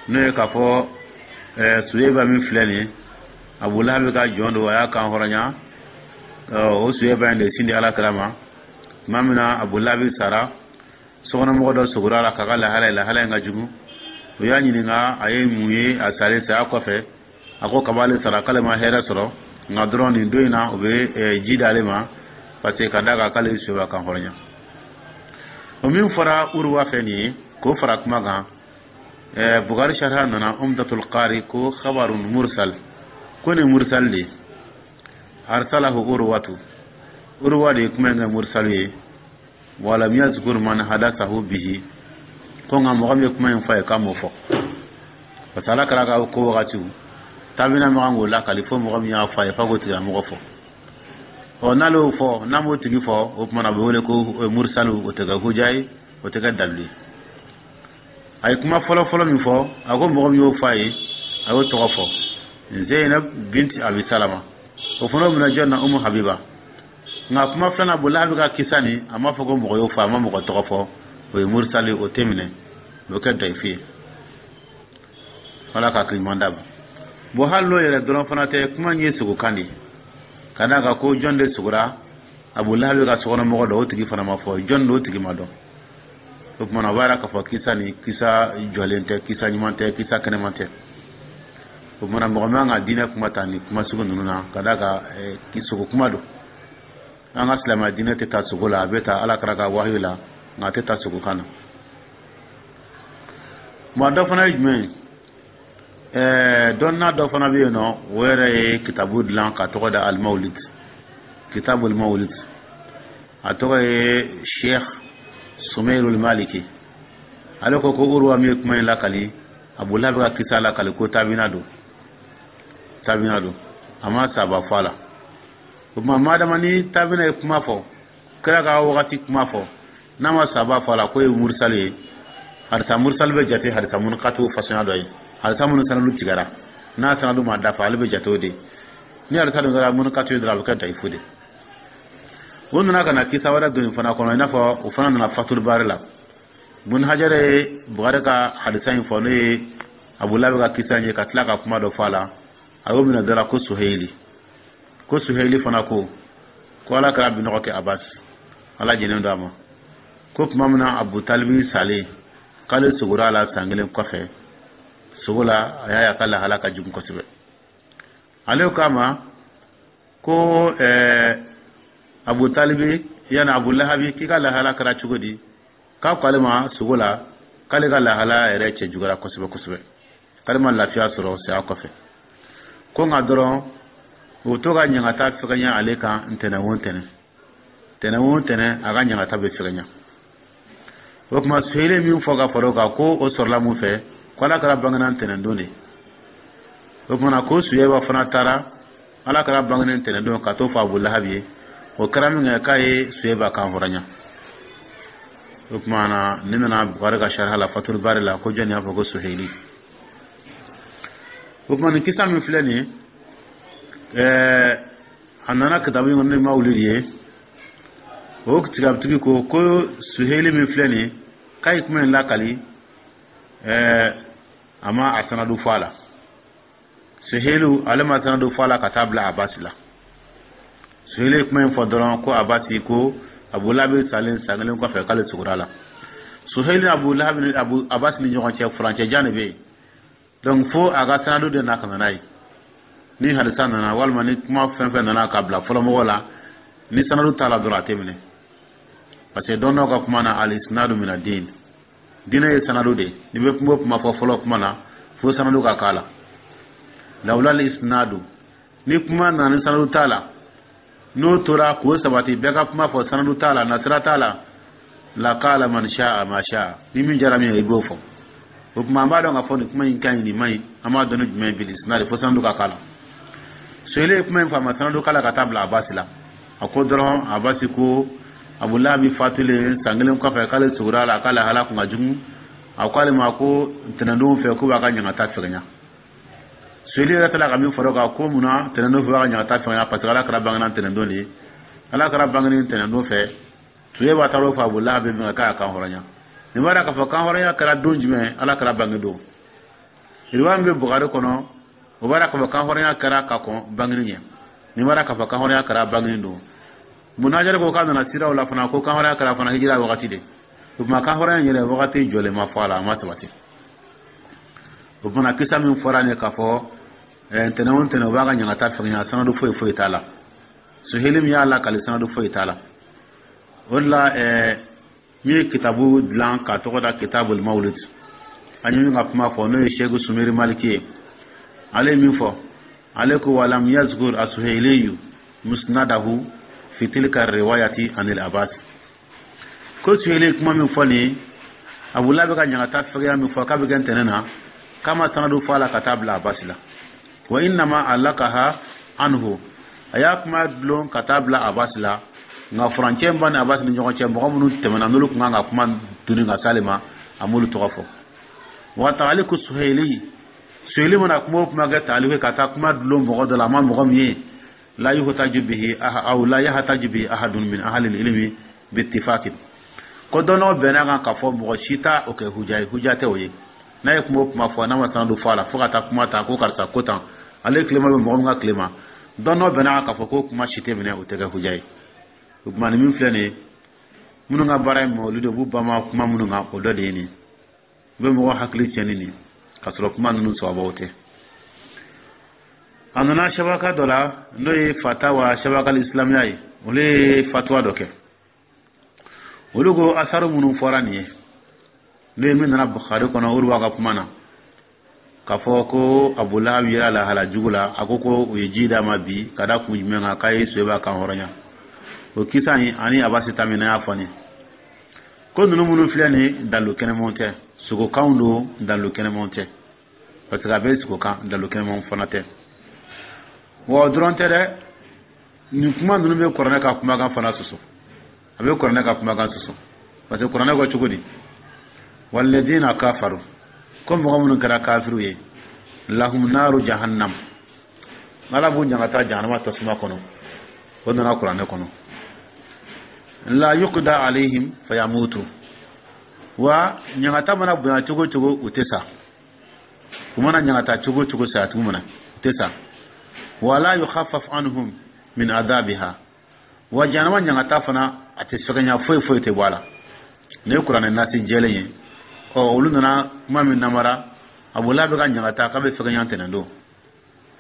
Speaker 1: n'o ye k'a fɔ Suweba min filɛ nin ye, Abu Lahabi ka jɔn don, a y'a kan hɔrɔnya, o Suweba in de sin di Ala kira ma. Tuma min na Abu Lahabi sara, sokɔnɔmɔgɔ dɔ sogora a la k'a ka lahala ye, lahala in ka jugu. O y'a ɲininka a ye mun ye a salen saya kɔfɛ. A ko kab'ale sara, k'ale ma hɛrɛ sɔrɔ, nka dɔrɔn nin don in na, u bɛ ji d'ale ma, parce que ka d'a kan k'ale ye Suweba kan hɔrɔnya. O min fɔra Uruwa fɛ nin ye, k'o fara kuma kan, Bukari sariha nana Umdatul Qari ko khabarun mursal, ko nin mursal de arsalahu Urwatu, Urwa de ye kuma in kɛ mursal ye. Walam yazkur man hadathahu bihi, ko nka mɔgɔ min ye kuma in fɔ a ye, k'a m'o fɔ, parce que Ala kira ka ko wagatiw tabina ma kan k'o lakali fo mɔgɔ min y'a fɔ a ye, f'a k'o tigilamɔgɔ fɔ. Ɔ n'ale y'o fɔ, n'a m'o tigi fɔ, o tuma na a bɛ wele ko mursalu. O tɛ kɛ huja ye, o tɛ kɛ dalilu ye. A ye kuma fɔlɔ fɔlɔ min fɔ, a ko mɔgɔ min y'o fɔ a ye, a y'o tɔgɔ fɔ, Zeynab binti Abi Salama. O fana bɛna jɔn na? Umu Habiba. Nka kuma filanan, Abu Lahabi ka kisa nin, a m'a fɔ ko mɔgɔ y'o fɔ, a ma mɔgɔ tɔgɔ fɔ. O ye mursali, o tɛ minɛ, o bɛ kɛ dayifi ye. Ala ka hakili ɲuman d'a ma. Bon, hali n'o yɛrɛ dɔrɔn fana tɛ, kuma in ye sogokan de ye, ka d'a kan ko jɔn de sogora Abu Lahabi ka sokɔnɔmɔgɔ dɔ, o tigi fana ma fɔ jɔn don, o tigi ma dɔn. O tuma na o b'a yira k'a fɔ kisa nin, kisa jɔlen tɛ, kisa ɲuman tɛ, kisa kɛnɛman tɛ. O tuma na, mɔgɔ man ka diinɛ kuma ta ni kuma sugu ninnu na, ka d'a kan sogo kuma don. An ka silamɛya diinɛ tɛ taa sogo la, a bɛ taa Ala kɛra ka wahiyu la, nka a tɛ taa sogo kan na. Maa dɔ fana ye jumɛn ye? Dɔnna dɔ fana bɛ yen nɔ, o yɛrɛ ye kitabu dilan ka tɔgɔ da Alimawulid, Kitabul Mawulid. A tɔgɔ ye Sheikh Sumeirul Maliki. Ale ko ko Uruwa min ye kuma in lakali, Abu Lahabi ka kisa lakali, ko tabina don, tabina don, a ma saba fɔ a la. O tuma, madama ni tabina ye kuma fɔ, kira ka wagati kuma fɔ, n'a ma saba fɔ a la, k'o ye mursali ye. Hadisa mursali bɛ jate hadisa munkatu fasɔnya dɔ ye, hadisa minnu sanadu tigɛra, n'a sanadu ma dafa, ale bɛ jate o de. Ni hadisa dun kɛra munkatu ye dɔrɔn, a bɛ kɛ dayifu de. O nana ka na kisa wɛrɛ don fana kɔnɔ, i n'a fɔ o fana nana Fatul Bari la. Bun Hajar ye Bukari ka hadisa in fɔ, n'o ye Abu Lahabi ka kisa in ye, ka tila ka kuma dɔ fɔ a la. A y'o minɛ dɔ la ko Suheyili, ko Suheyili fana ko ko Ala kɛra binɔgɔ kɛ Abasi, Ala jɛnen don a ma, ko tuma min na Abu Talibi salen, k'ale sogora a la san kelen kɔfɛ, sogo la, a y'a ye a ka lahala ka jugu kosɛbɛ. Ale ko a ma ko Abu Talibi, yani Abu Lahabi, k'i ka lahala kɛra cogo di? K'a ko ale ma sogo la k'ale ka lahala yɛrɛ cɛ juguyara kosɛbɛ kosɛbɛ, k'ale ma lafiya sɔrɔ saya kɔfɛ, ko nka dɔrɔn o to ka ɲangata fɛgɛnya ale kan ntɛnɛn o ntɛnɛn, tɛnɛn o ntɛnɛn, a ka ɲangata bɛ fɛgɛnya. O tuma, Suheli min fɔ ka fara o kan, ko o sɔrɔla mun fɛ? Ko Ala kɛra bangena ntɛnɛn don de. O tuma na, ko Suyeba fana taara Ala kɛra bangenen ntɛnɛn don ka t'o fɔ Abu Lahabi ye. O kɛra min kɛ, k'a ye Suyeba kan hɔrɔnya. O tuma na, ne nana Bukari ka sariya la, Fatul Bari la, ko jɔnni y'a fɔ? Ko Suheli. O tuma, nin kisa min filɛ nin ye, a nana kitabu in kɔnɔ ni Mawulidi ye. O tigabutigi ko ko Suheli min filɛ nin ye, k'a ye kuma in lakali, a ma a sanadu fɔ a la. Suhelu, ale ma sanadu fɔ a la ka taa bila Abasi la. Suheli ye kuma in fɔ dɔrɔn ko Abasi ko Abu Lahabi salen san kelen kɔfɛ, k'ale sugora la. Suheli ni Abu Lahabi ni Abu Abasi ni ɲɔgɔn cɛ, furancɛ jan de bɛ yen. Donc fo a ka sanadu de na ka na n'a ye. Ni hadisa nana, walima ni kuma fɛn fɛn nana ka bila fɔlɔmɔgɔ la, ni sanadu t'a la dɔrɔn, a tɛ minɛ, parce que dɔn dɔw ka kuma na, al isnadu mina din, diinɛ ye sanadu de. N'i bɛ kuma o kuma fɔ fɔlɔ kuma na, fo sanadu ka k'a la. Lawula al isnadu, ni kuma nana ni sanadu t'a la, n'o tora k'o sabati, bɛɛ ka kuma fɔ sanadu t'a la, nasira t'a la, la qala man sha'a ma sha'a, ni min jara min ye, i b'o fɔ. O tuma, an b'a dɔn k'a fɔ nin kuma in ka ɲi, nin man ɲi, an b'a dɔn ni jumɛn ye? Bil isnadi, fo sanadu ka k'a la. Suheli ye kuma in fɔ, a ma sanadu k'a la ka taa bila Abasi la. A ko dɔrɔn Abasi ko Abu Lahabi fatulen san kelen kɔfɛ, k'ale sogora a la, k'ale hala kun ka jugu. A ko ale ma ko ntɛnɛndon fɛ, k'u b'a ka ɲangata fɛgɛnya. Suheli yɛrɛ taara ka min fara o kan, ko munna ntɛnɛndon fɛ b'a ka ɲangata fɛgɛnya? Parce que Ala kɛra bangena ntɛnɛndon de ye. Ala kɛra bangeni ntɛnɛndon fɛ, Suyeba taara o fɔ Abu Lahabi min k'a kan hɔrɔnya. Nin b'a k'a fɔ kan hɔrɔnya kɛra don jumɛn? Ala kɛra bange don. Riwaya min bɛ Bukari kɔnɔ, o b'a k'a fɔ kan hɔrɔnya kɛra ka kɔn bangeni ɲɛ. Nin b'a k'a fɔ kan hɔrɔnya kɛra bangeni don. Munajari ko k'a nana siraw la fana ko kan hɔrɔnya kɛra fana hijira wagati de. O tuma, kan hɔrɔnya yɛrɛ wagati jɔlen ma fɔ a la, a ma sabati. O tuma, kisa min fɔra nin ye k'a fɔ ntɛnɛn o ntɛnɛn o b'a ka ɲangata fɛngɛ, sanadu foyi foyi t'a la. Suheli min y'a lakali, sanadu foyi t'a la. O de la, min ye kitabu dilan k'a tɔgɔ da Kitabul Mawlid, an ye min ka kuma fɔ, n'o ye Seku Sumeri Maliki ye, ale ye min fɔ, ale ko walam yazkur asuheliyu musnadahu fi tilka riwayati anil Abbas. Ko Suheli kuma min fɔ nin ye, Abula bɛ ka ɲangata fɛgɛya min fɔ k'a bɛ kɛ ntɛnɛn na, k'a ma sanadu fɔ a la ka taa bila Abasi la. Wa innama alakaha anhu, a y'a kuma dulon ka taa bila Abasi la, nka furancɛ ba ni Abasi ni ɲɔgɔn cɛ, mɔgɔ minnu tɛmɛna, n'olu tun kan ka kuma duni ka s'ale ma, a m'olu tɔgɔ fɔ. Wa taaliku Suheli, Suheli mana kuma o kuma kɛ taaliku ka taa kuma dulon mɔgɔ dɔ la, a ma mɔgɔ min ye, la yuhtaju bihi aw la yahtaju bihi ahadun min ahli ilmi bittifaqin, ko dɔnnɔw bɛnna kan k'a fɔ mɔgɔ si t'a o kɛ huja ye, huja tɛ o ye. N'a ye kuma o kuma fɔ, n'a ma sanadu fɔ a la, fo ka taa kuma ta ko karisa ko tan, ale tilema bɛ mɔgɔ min ka tile ma, dɔnnɔw bɛnna kan k'a fɔ ko kuma si tɛ minɛ, o tɛ kɛ huja ye. O tuma, nin min filɛ nin ye, minnu ka baara ye mɔgɔ de b'u banba kuma minnu kan, o dɔ de ye nin. U bɛ mɔgɔ hakili tiɲɛ ni nin, k'a sɔrɔ kuma ninnu sababuw tɛ. A nana shabaka dɔ la, n'o ye Fatawa Shabakal Islamiya ye. Olu ye fatuwa dɔ kɛ. Olu ko asaru minnu fɔra nin ye, n'o ye min nana Bukhari kɔnɔ, Uruwa ka kuma na, k'a fɔ ko Abu Lahab yera lahala jugu la, a ko ko u ye ji d'a ma bi ka da kun jumɛn kan, k'a ye Soyiba kan hɔrɔnya, o kisa in ani Abasi ta min n'a y'a fɔ nin ko ninnu minnu filɛ nin ye, dalu kɛnɛmanw tɛ, sogokanw don, dalu kɛnɛmanw tɛ, parce que a bɛ sogokan, dalu kɛnɛmanw fana tɛ. Wa o dɔrɔn tɛ dɛ, nin kuma ninnu bɛ kuranɛ ka kumakan fana sɔsɔ. A bɛ kuranɛ ka kumakan sɔsɔ, parce que kuranɛ ko cogo di? Walladina kafaru, ko mɔgɔ minnu kɛra kafiriw ye, lahum naru jahannam, Ala b'u ɲangata jahanama tasuma kɔnɔ. O nana kuranɛ kɔnɔ. La yuqda alayhim fayamutu, wa ɲangata mana bonya cogo cogo, u tɛ sa. U mana ɲangata cogo cogo, saya tugu mana, u tɛ sa. Wala yukhaffaf anhum min adabiha, wa jahanama ɲangata fana, a tɛ fɛgɛnya, foyi foyi tɛ bɔ a la. Nin ye kuranɛ nasi jɛlen ye. Ɔ, olu nana kuma min namara, Abu Lahab ka ɲangata k'a bɛ fɛgɛnya tɛnɛn don.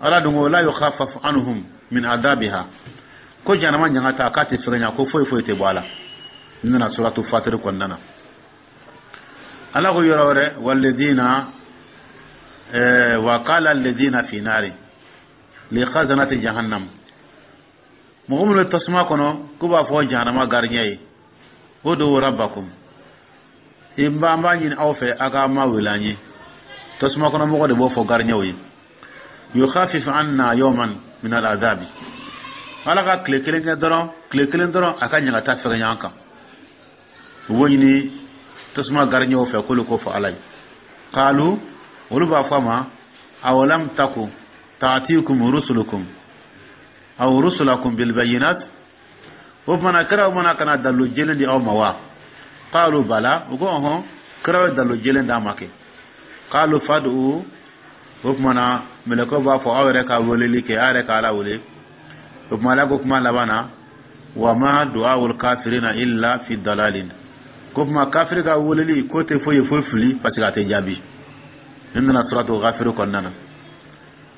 Speaker 1: Ala dun ko la yukhaffaf anhum min adabiha, ko jahanama ɲangata k'a tɛ fɛgɛnya, ko foyi foyi tɛ bɔ a la. N nana suratu Fatiri kɔnɔna na, Ala ko yɔrɔ wɛrɛ, walladina wa qala alladina fi nari li khazanati jahannam, mɔgɔ minnu bɛ tasuma kɔnɔ, k'u b'a fɔ jahanama gardien ye, udu rabbakum, i b'an b'a ɲini aw fɛ, a ka ma wele an ye. Tasuma kɔnɔ mɔgɔ de b'o fɔ gardien ye. Yukhafif anna yawman min al-azabi, Ala ka tile kelen kɛ dɔrɔn, tile kelen dɔrɔn, a ka ɲagata fɛgɛnya an kan. U b'o ɲini tasuma gardien fɛ k'olu k'o fɔ Ala ye. Qalu, olu b'a fɔ a ma, awalam taku ta'tikum rusulukum aw rusulakum bil bayinat, o tuma kiraw mana ka na dalilu jɛlen di aw ma wa? Qalu bala, u ko ɔhɔn, kiraw ye dalilu jɛlen d'an ma kɛ. Qalu fad'u, o tuma na mɛlɛkɛw b'a fɔ, aw yɛrɛ ka weleli kɛ, aw yɛrɛ ka Ala wele. O tuma Ala ko kuma laban na, wa ma du'aul kafirina illa fi dalalin, ko tuma kafiri ka weleli k'o tɛ foyi ye fo fili, parce que a tɛ jaabi. Nin nana suratu Ghafir kɔnɔna na.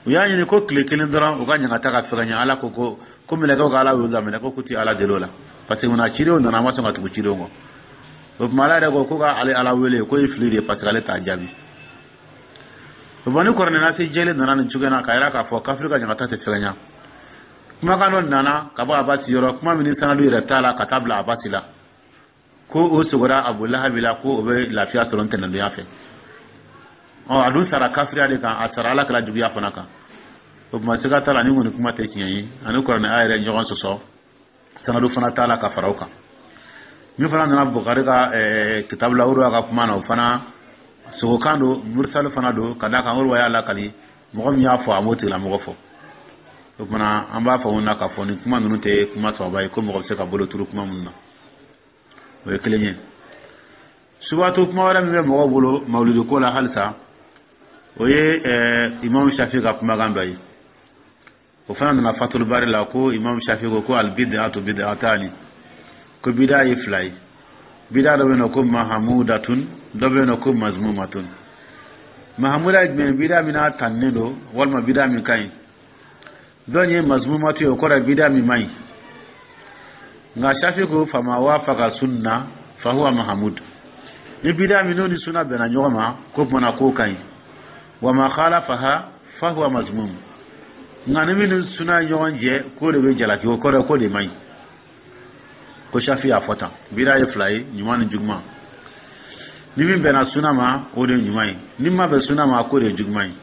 Speaker 1: U y'a ɲini ko tile kelen dɔrɔn, u ka ɲangata ka fɛgɛnya. Ala ko ko mɛlɛkɛw ka Ala wele. Mɛlɛkɛw ko ti Ala deli o la, parce que munna? Cidenw nana, a ma sɔn ka tugu cidenw kɔ. O tuma Ala yɛrɛ ko ko ka ale Ala wele k'o ye fili de ye, parce que ale t'a jaabi. O tuma ni kuranɛ nasi jɛlen nana nin cogoya na k'a yira k'a fɔ kafiri ka ɲangata tɛ fɛgɛnya, kumakan dɔ nana ka bɔ Abasi yɔrɔ, kuma min ni sanadu yɛrɛ t'a la, ka taa bila Abasi la, ko o sogora Abu Lahabi la, ko o bɛ lafiya sɔrɔ ntɛnɛndonya fɛ. Ɔ, a dun sara kafiriya de kan, a sara Ala kɛra juguya fana kan. O tuma siga t'a la, ni kɔni kuma tɛ tiɲɛ ye, ani kuranɛ a yɛrɛ ɲɔgɔn sɔsɔ, sanadu fana t'a la ka fara o kan. Min fana nana Bukari ka kitabu la, Uruwa ka kuma na, o fana sogokan don, mursali fana don, ka d'a kan Uruwa y'a lakali, mɔgɔ min y'a fɔ, a m'o tigilamɔgɔ fɔ. O tuma an b'a fɔ na k'a fɔ nin kuma ninnu tɛ kuma sababa ye ko mɔgɔ bɛ se ka bolo turu kuma minnu na. O ye kelen ye. Subatu kuma wɛrɛ min bɛ mɔgɔw bolo mawulidi ko la halisa, o ye Imam Shafi ka kumakan dɔ ye. O fana nana Fatul Bari la, ko Imam Shafi ko ko albid'atu bid'atani, ko bida ye fila ye. Bida dɔ bɛ yen nɔ ko mahamudatun, dɔ bɛ yen nɔ ko mazmumatun. Mahamuda ye jumɛn ye? Bida min n'a tannen don, walima bida min ka ɲi. Dɔ ye mazmumatu ye, o kɔrɔ ye bida min man ɲi. Nka Shafi ko fama wafaqa sunna fahuwa mahamud, ni bida min n'o ni sunna bɛnna ɲɔgɔn ma, ko tuma na k'o ka ɲi. Wa ma khalafaha fahuwa mazmum, nka ni min ni sunna ye ɲɔgɔn jɛ, k'o de bɛ jalaki, o kɔrɔ ye k'o de man ɲi. Ko Shafi y'a fɔ tan, bida ye fila ye, ɲuman ni juguman. Ni min bɛnna sunna ma, o de ye ɲuman ye, ni ma bɛn sunna ma, k'o de ye juguman ye.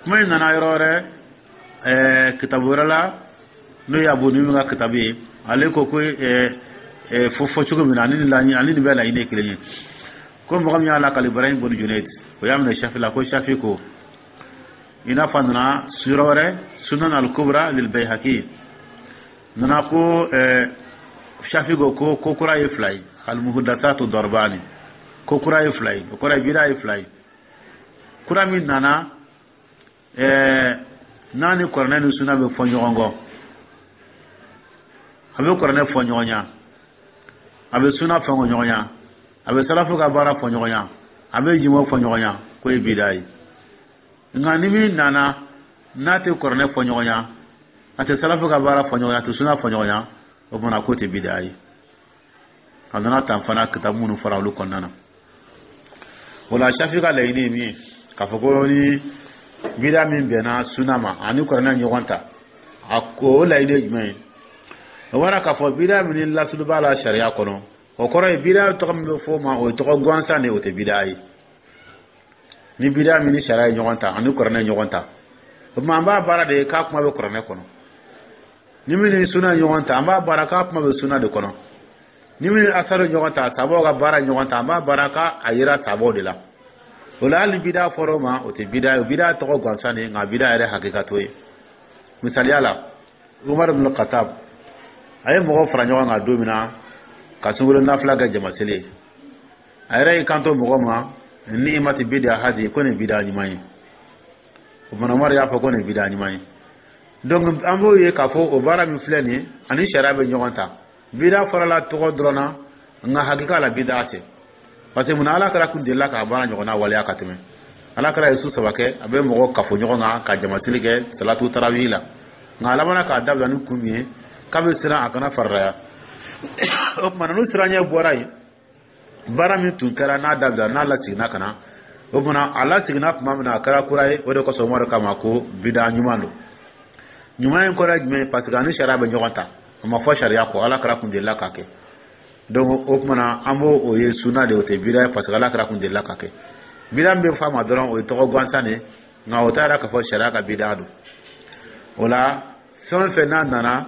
Speaker 1: Kuma in nana yɔrɔ wɛrɛ, kitabu wɛrɛ la, n'o ye Abu Nuhum ka kitabu ye. Ale ko ko fo fɔ cogo min na, ani nin ani nin bɛɛ laɲini ye kelen ye. Ko mɔgɔ min y'a lakali, Ibrahim bun Junaid, o y'a minɛ Shafi la, ko Shafi ko, i n'a fɔ a nana yɔrɔ wɛrɛ, Sunan al-Kubra lil Bayhaqi nana, ko Shafi ko ko kura ye fila ye, al-muhdathatu darbani, ko kura ye fila ye, o kɔrɔ ye bida ye fila ye. Kura min nana n'a ni kuranɛ ni suna bɛ fɔ ɲɔgɔn kɔ, a bɛ kuranɛ fɔ ɲɔgɔn ɲa, a bɛ suna fɔ ɲɔgɔn ɲa, a bɛ salafu ka baara fɔ ɲɔgɔn ɲa, a bɛ jimo fɔ ɲɔgɔn ɲa, k'o ye bida ye. Nka ni min nana n'a tɛ kuranɛ fɔ ɲɔgɔn a tɛ salafu ka baara fɔ ɲɔgɔn a tɛ suna fɔ ɲɔgɔn, o fana k'o tɛ bida ye. A nana tan fana kitabu minnu fɔra olu kɔnɔna na. O la, Shafi ka laɲini ye min ye, k'a fɔ ko ni bida min bɛnna suna ma ani kuranɛ ɲɔgɔn ta, a ko o laɲini ye jumɛn ye? O bɔra k'a fɔ bida min ni lasulu b'a la sariya kɔnɔ, o kɔrɔ ye bida tɔgɔ min bɛ fɔ o ma, o ye tɔgɔ gansan de ye, o tɛ bida ye. Ni bida min ni sariya ye ɲɔgɔn ta ani kuranɛ ye ɲɔgɔn ta, o tuma an b'a baara de ye k'a kuma bɛ kuranɛ kɔnɔ. Ni min ni suna ye ɲɔgɔn ta, an b'a baara k'a kuma bɛ suna de kɔnɔ. Ni min ni asaru ɲɔgɔn ta, sabaw ka baara ɲɔgɔn ta, an b'a baara k'a yira sabaw de la. O la, hali bida fɔra o ma, o tɛ bida ye, o bida tɔgɔ gansan de ye, nka bida yɛrɛ hakika t'o ye. Misaliya la, Umar ibn Khattab a ye mɔgɔw fara ɲɔgɔn kan don min na ka sunkalo nafila kɛ jamaseli ye, a yɛrɛ y'i kanto mɔgɔ ma: "Ni'mati bida hadi", ko nin bida ɲuman ye. O fana, Umar y'a fɔ ko nin bida ɲuman ye. Donc an b'o ye k'a fɔ o baara min filɛ nin ye, ani sariya bɛ ɲɔgɔn ta. Bida fɔra tɔgɔ dɔrɔn na, nka hakika la bida tɛ, parce que munna? Ala kɛra kun delila k'a baara ɲɔgɔnna waleya ka tɛmɛ. Ala kɛra ye su 3 kɛ, a bɛ mɔgɔ kafo ɲɔgɔn kan ka jamaseli kɛ salatu tarawih la, nka a labanna k'a dabila ni kun min ye, k'a bɛ siran a kana farilaya. O tuma, n'o siranɲɛ bɔra yen, baara min tun kɛra n'a dabila, n'a laseginna ka na, o tuma a laseginna tuma min na, a kɛra kura ye. O de kosɔn Umaru kama ko bida ɲuman don. Ɲuman in kɔrɔ ye jumɛn ye? Parce que ani sariya bɛ ɲɔgɔn ta, a ma fɔ sariya kɔ, Ala kɛra kun delila k'a kɛ. Donc o tuma na, an b'o o ye suna de, o tɛ bida ye, parce que Ala kɛra kun delila k'a kɛ. Bida min bɛ fɔ a ma dɔrɔn, o ye tɔgɔ gansan de ye, nka o t'a yira k'a fɔ sariya ka bida don. O la, fɛn o fɛn n'a nana,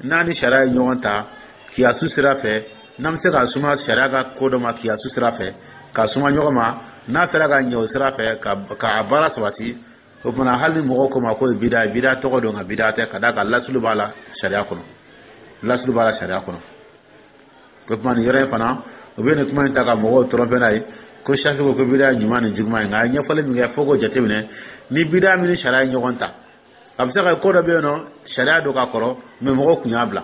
Speaker 1: n'a ni sariya ye ɲɔgɔn ta kiyasu sira fɛ, n'an bɛ se ka suma sariya ka ko dɔ ma kiyasu sira fɛ, ka suma ɲɔgɔn ma, n'a sera ka ɲɛ o sira fɛ ka a baara sabati, o tuma, hali ni mɔgɔw ko ma k'o ye bida ye, bida tɔgɔ don, nka bida tɛ, ka d'a kan lasulu b'a la sariya kɔnɔ, lasulu b'a la sariya kɔnɔ. O tuma, nin yɔrɔ in fana, u bɛ nin kuma in ta ka mɔgɔw tromper n'a ye ko Shafi ko ko bida ye ɲuman ni juguman ye. Nka a ye ɲɛfɔli min kɛ, fo k'o jateminɛ ni bida min ni sariya ye ɲɔgɔn ta. A bɛ se ka kɛ ko dɔ bɛ yen nɔ, sariya don ka kɔrɔ, mɛ mɔgɔw kun y'a bila,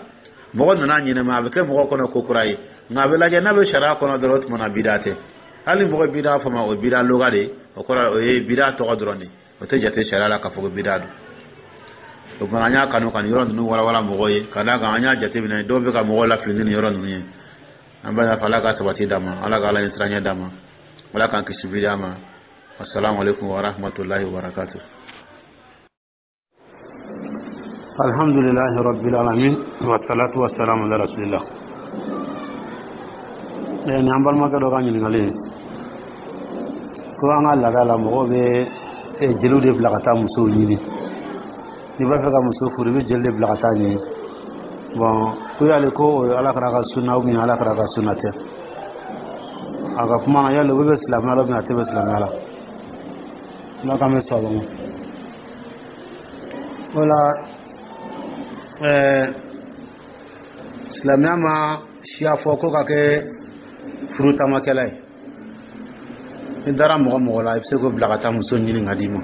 Speaker 1: mɔgɔ nana ɲɛnɛma, a bɛ kɛ mɔgɔ kɔnɔ ko kura ye, nka a bɛ lajɛ n'a bɛ sariya kɔnɔ dɔrɔn, o tuma na bida tɛ. Hali mɔgɔ bida fɔ ma, o ye bida loga de ye, o kɔrɔ o ye bida tɔgɔ dɔrɔn de, o tɛ jate sariya la k'a fɔ ko bida don. O tuma, an y'a kanu ka nin yɔrɔ ninnu walawala mɔgɔw ye, ka d'a kan an y'a jateminɛ dɔw bɛ ka mɔgɔw lafili ni nin yɔrɔ ninnu ye. An b'a fɔ Ala ka sabati d'a ma, Ala ka Ala ɲɛ siranɲɛ d'a ma, Ala k'an kisi bida ma. Assalamu alaikum wa rahmatullahi wa barakatuh.
Speaker 2: Alhamdulillahi rabbil alamin, wa salatu wa salam ala rasulillah. Ni an balimakɛ dɔ ka ɲininkali ye ko an ka laada la, mɔgɔw bɛ jeliw de bila ka taa musow ɲini. N'i b'a fɛ ka muso furu, i bɛ jeli de bila ka taa ɲini. Bon, ko yali ko o ye Ala kɛra ka sunna ou bien Ala kɛra ka sunna tɛ? A ka kuma na, yali o bɛ silamɛya la ou bien a tɛ bɛ silamɛya la? Ala k'an bɛ sababa ma. O la, silamɛya ma siya fɔ ko ka kɛ furu taamakɛla ye. Ni dara mɔgɔ mɔgɔ la, i bɛ se k'o bila ka taa muso ɲini ka d'i ma.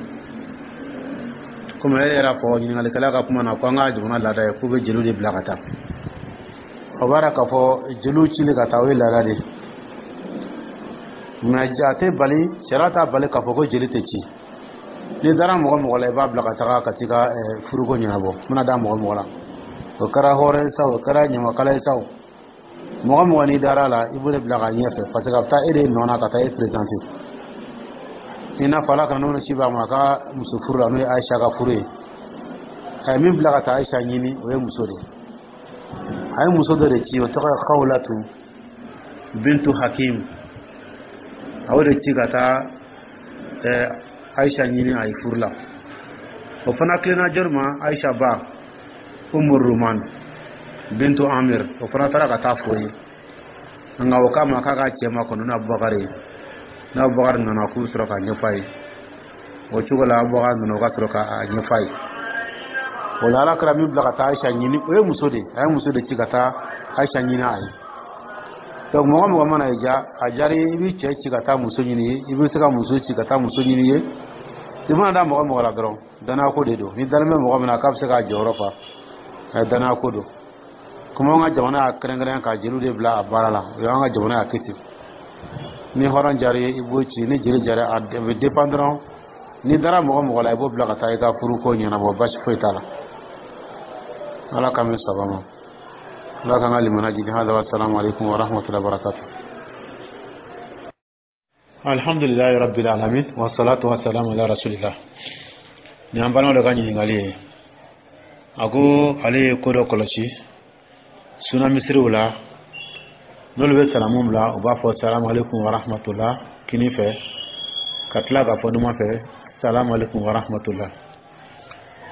Speaker 2: Komi e yɛrɛ fɔ ɲininkalikɛla ka kuma na ko an ka jamana laada ye k'u bɛ jeliw de bila ka taa, o b'a yira k'a fɔ jeliw cili ka taa, o ye laada de ye. Mɛ a tɛ bali, sariya t'a bali k'a fɔ ko jeli tɛ ci. N'i dara mɔgɔ mɔgɔ la, i b'a bila ka taga ka t'i ka furuko ɲɛnabɔ. N bɛna da mɔgɔ mɔgɔ la, o kɛra hɔrɔn ye sa, o kɛra ɲamakala ye sa, o mɔgɔ mɔgɔ n'i dara la, i b'o de bila ka ɲɛfɛ, parce que a bɛ taa e de nɔ na ka taa e présenter. I n'a fɔ Ala ka n'o ci b'a ma a ka muso furu la, n'o ye Ayisa ka furu ye, a ye min bila ka taa Ayisa ɲini, o ye muso de ye. A ye muso dɔ de ci, o tɔgɔ ye Khawlatu bintu Hakim. A y'o de ci ka taa Ayisa ɲini a ye furu la. O fana tilenna jɔni ma? Ayisa ba Umu Ruman bintu Amir, o fana taara ka taa fo ye, nka o k'a ma k'a ka cɛ ma kɔnɔ ni Abubakar ye. Ni Abubakar nana, k'u bɛ sɔrɔ k'a ɲɛfɔ a ye. O cogo la, Abubakar nana, o ka sɔrɔ k'a ɲɛfɔ a ye. O la, Ala kɛra min bila ka taa Ayisa ɲini, o ye muso de ye. A ye muso de ci ka taa Ayisa ɲini a ye. Donc mɔgɔ mɔgɔ mana i ja, a diyara i bɛ cɛ ci ka taa muso ɲini ye, i bɛ se ka muso ci ka taa muso ɲini ye. I mana da mɔgɔ mɔgɔ la dɔrɔn, danaya ko de don. Ni dalen bɛ mɔgɔ min na k'a bɛ se k'a jɔyɔrɔ fa, a ye danaya ko don. Komi an ka jamana y'a kɛrɛnkɛrɛn ka jeliw de bila a baara la, o y'an ka jamana y'a kɛ ten. Ni hɔrɔn diyara i ye, i b'o ci. Ni jeli diyara, a bɛ dépend dɔrɔn. N'i dara mɔgɔ mɔgɔ la, i b'o bila ka taa i ka furuko ɲɛnabɔ, basi foyi t'a la. Ala k'an bɛ saba ma, Ala k'an ka limana jigin. Hada wa salamu alaikum wa rahmatullahi wa barakatuh. Alhamdulilayi rabbil alamin, wa salatu wa salamu ala rasulillah. Nin an balimaw dɔ ka ɲininkali ye. A ko ale ye ko dɔ kɔlɔsi suna misiriw la, n'olu bɛ salamu bila, u b'a fɔ salamu alaikum wa rahmatullah kini fɛ, ka tila k'a fɔ numan fɛ salamu alaikum wa rahmatullah.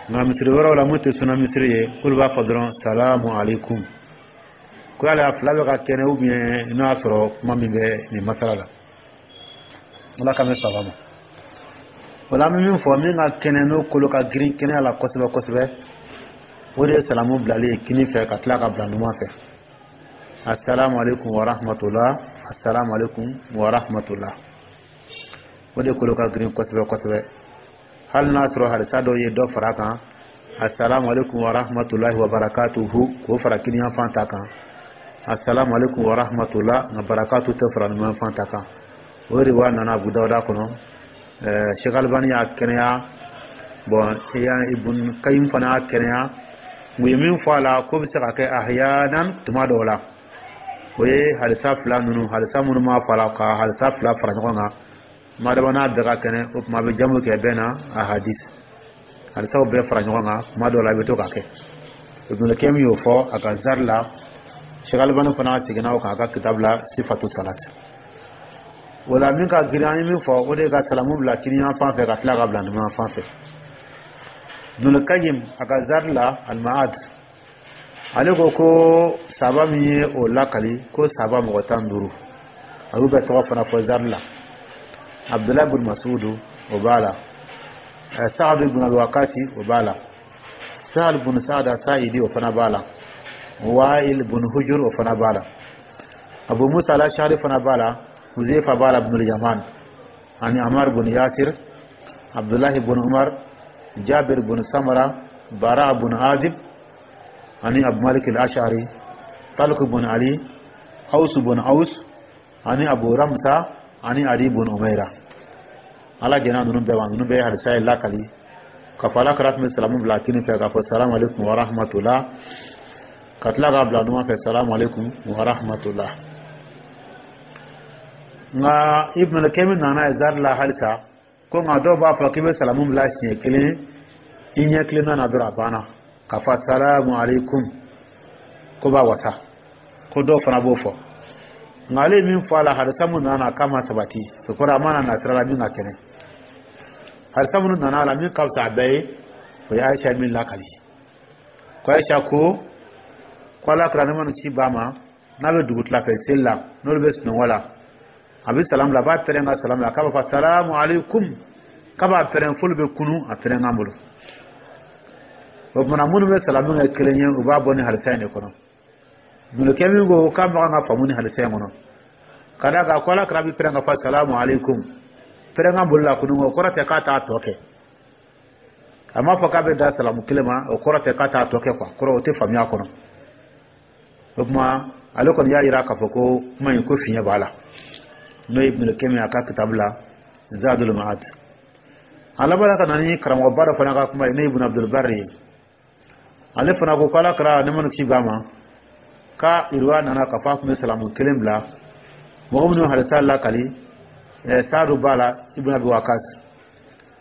Speaker 2: Nka misiri wɛrɛw la, mun tɛ suna misiri ye, olu b'a fɔ dɔrɔn salamu alaikum. Ko yala a fila bɛ ka kɛnɛ ou bien n'o y'a sɔrɔ kuma min bɛ nin masala la? Ala ka mɛn saba ma. O la, an bɛ min fɔ, min ka kɛnɛ, n'o kolo ka girin kɛnɛya la kosɛbɛ kosɛbɛ, o de ye salamu bilali ye kini fɛ ka tila ka bila numan fɛ, assalamu alaikum wa rahmatullah, assalamu alaikum wa rahmatullah. O de kolo ka girin kosɛbɛ kosɛbɛ, hali n'a sɔrɔ hadisa dɔw ye dɔ fara a kan, assalamu alaikum wa rahmatullahi wa barakatuhu, k'o fara kiniyanfan ta kan, assalamu alaikum wa rahmatullah, nka barakatu tɛ fara numanfan ta kan. O riwaya nana Abu Dawuda kɔnɔ. Sheikh Albani y'a kɛnɛya. Bon, Ibn Qayyim fana y'a kɛnɛya. U ye min fɔ a la, ko bɛ se ka kɛ ahyanan, tuma dɔw la, o ye hadisa fila ninnu, hadisa minnu m'a fɔ a la, ka hadisa fila fara ɲɔgɔn kan. Madama n'a bɛɛ ka kɛnɛ, o tuma a bɛ jamu kɛ bɛɛ na a hadis hadisaw bɛɛ fara ɲɔgɔn kan. Tuma dɔw la, i bɛ to k'a kɛ. Ibn Qayyim y'o fɔ a ka zari la. Sheikh Albani fana seginna o kan a ka kitabu la, Sifatu Salat. O la, min ka girin, an ye min fɔ, o de ye ka salamu bila kiniyan fan fɛ ka tila ka bila numan fan fɛ. Ibn Qayyim a ka zari la, Al-Ma'ad, ale ko ko saba min ye o lakali, ko saba mɔgɔ 15, a y'u bɛɛ tɔgɔ fana fɔ zari la. Abdullahi bin Masudu, o b'a la. Saad ibn Abi Waqasi, o b'a la. Sahal bin Sa'ad Sa'idi, o fana b'a la. Wa'il bin Hujur, o fana b'a la. Abu Musa al-Ash'ari fana b'a la. Huzaifa b'a la bin Yaman, ani Amar bin Yasir, Abdullahi bin Umar, Jabir bin Samara, Bara bin Azib, ani Abu Malik al-Ash'ari, Talq bin Ali, Aus bin Aus, ani Abu Ramsa, ani Ali bin Umaira. Ala jɛnna ninnu bɛɛ ma. Ninnu bɛɛ ye hadisa ye lakali ka fɔ Ala kɛra tun bɛ salamu bila kini fɛ k'a fɔ salamu alaikum wa rahmatullah, ka tila k'a bila numan fɛ salamu alaikum wa rahmatullah. Nka Ibn Kemi nana ye zari la halisa ko nka dɔw b'a fɔ k'i bɛ salamu bila siɲɛ kelen, i ɲɛ kilenna na dɔrɔn, a banna, k'a fɔ salamu alaikum, ko b'a wasa, ko dɔw fana b'o fɔ. Nka ale ye min fɔ a la, hadisa mun nana k'a ma sabati, o kɔrɔ a ma na sira la min ka kɛnɛ. Hadisa minnu nana a la, min ka fisa a bɛɛ ye, o ye Aisha min lakali, ko Aisha ko ko Ala kira ne mana ci ba ma, n'a bɛ dugutila fɛ seli la, n'olu bɛ sunɔgɔ la, a bɛ salamu bila, a b'a pɛrɛn ka salamu bila, k'a b'a fɔ salamu alaikum, k'a b'a pɛrɛn f'olu bɛ kunu a pɛrɛn bolo. O tuma minnu bɛ salamu kɛ kelen ye, u b'a bɔ ni hadisa in de kɔnɔ. Ibn min ko k'a man kan ka faamu ni hadisa in kɔnɔ, ka d'a kan ko Ala kira bɛ pɛrɛn ka fɔ salamu alaikum, pɛrɛn bolo la kunu, o kɔrɔ tɛ k'a t'a tɔ kɛ. A m'a fɔ k'a bɛ da salamu kelen ma, o kɔrɔ tɛ k'a t'a tɔ kɛ quoi, kɔrɔ o tɛ faamuya kɔnɔ. O tuma ale kɔni y'a yira k'a fɔ ko kuma in ko fiɲɛ b'a la, n'o ye Ibn Kemi a ka kitabu la, Zadul Ma'ad. A labanna ka na ni karamɔgɔba dɔ fana ka kuma ye, n'o ye Ibn Abdul Barri ye. Ale fana ko Ala kɛra ne mana ci ba ma, ka iriwa nana k'a fɔ a tun bɛ salamu kelen bila. Mɔgɔ minnu hadisa lakali, Saadu b'a la, Ibn Abi Wakas,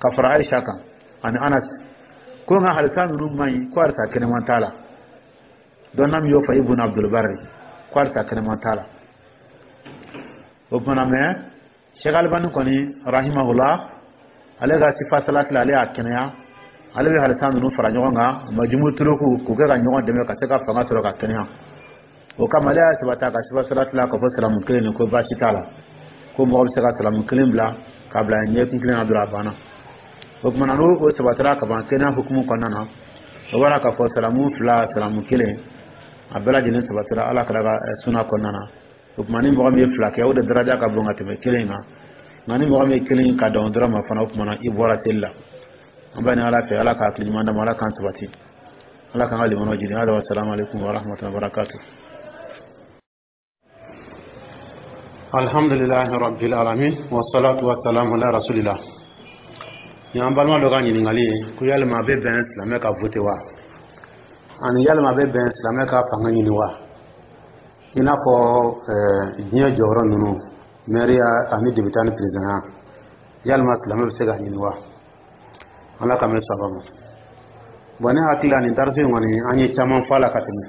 Speaker 2: ka fara Aisha kan ani Anas, ko nka hadisa ninnu man ɲi, ko hadisa kɛnɛman t'a la. Dɔnna min y'o fɔ, Ibn Abdul Barri, ko hadisa kɛnɛman t'a la. O tuma mɛ, Sheikh Albani kɔni rahimahullah, ale ka sifa salati la, ale y'a kɛnɛya. Ale bɛ hadisa ninnu fara ɲɔgɔn kan, majumu turuku, k'u kɛ ka ɲɔgɔn dɛmɛ ka se ka fanga sɔrɔ ka kɛnɛya. O kama ale y'a sabati a ka sifa salati la k'a fɔ salamu kelen nin, ko baasi t'a la, ko mɔgɔ bɛ se ka salamu kelen bila k'a bila ɲɛkun kelen na dɔrɔn, a banna. O tuma n'o o sabatira ka ban kɛnɛya hukumu kɔnɔna na, o b'a k'a fɔ salamu fila, salamu kelen, a bɛɛ lajɛlen sabatira Ala kɛra ka suna kɔnɔna na. O tuma ni mɔgɔ min ye fila kɛ, o de daraja ka bon ka tɛmɛ kelen kan. Nka ni mɔgɔ min ye kelen ka dan o dɔrɔn ma fana, o tuma na i bɔra seli la. An b'a ɲini Ala fɛ, Ala ka hakili ɲuman d'an ma, Ala k'an sabati, Ala k'an ka limanaw jigin. Hada wa salamu alaikum wa rahmatullahi wa barakatuh. Alhamdulillahi rabbil alamin, wa salatu wa salamu ala rasulillah. Ni an balima dɔ ka ɲininkali ye ko yalima a bɛ bɛn silamɛ ka vote wa, ani yalima a bɛ bɛn silamɛ ka fanga ɲini wa, i n'a fɔ diɲɛ jɔyɔrɔ ninnu, mɛriya ani député ni président, yalima silamɛ bɛ se ka ɲini wa? Ala ka mɛn saba ma. Bon, ne hakili la, nin dariso in kɔni, an ye caman fɔ a la ka tɛmɛ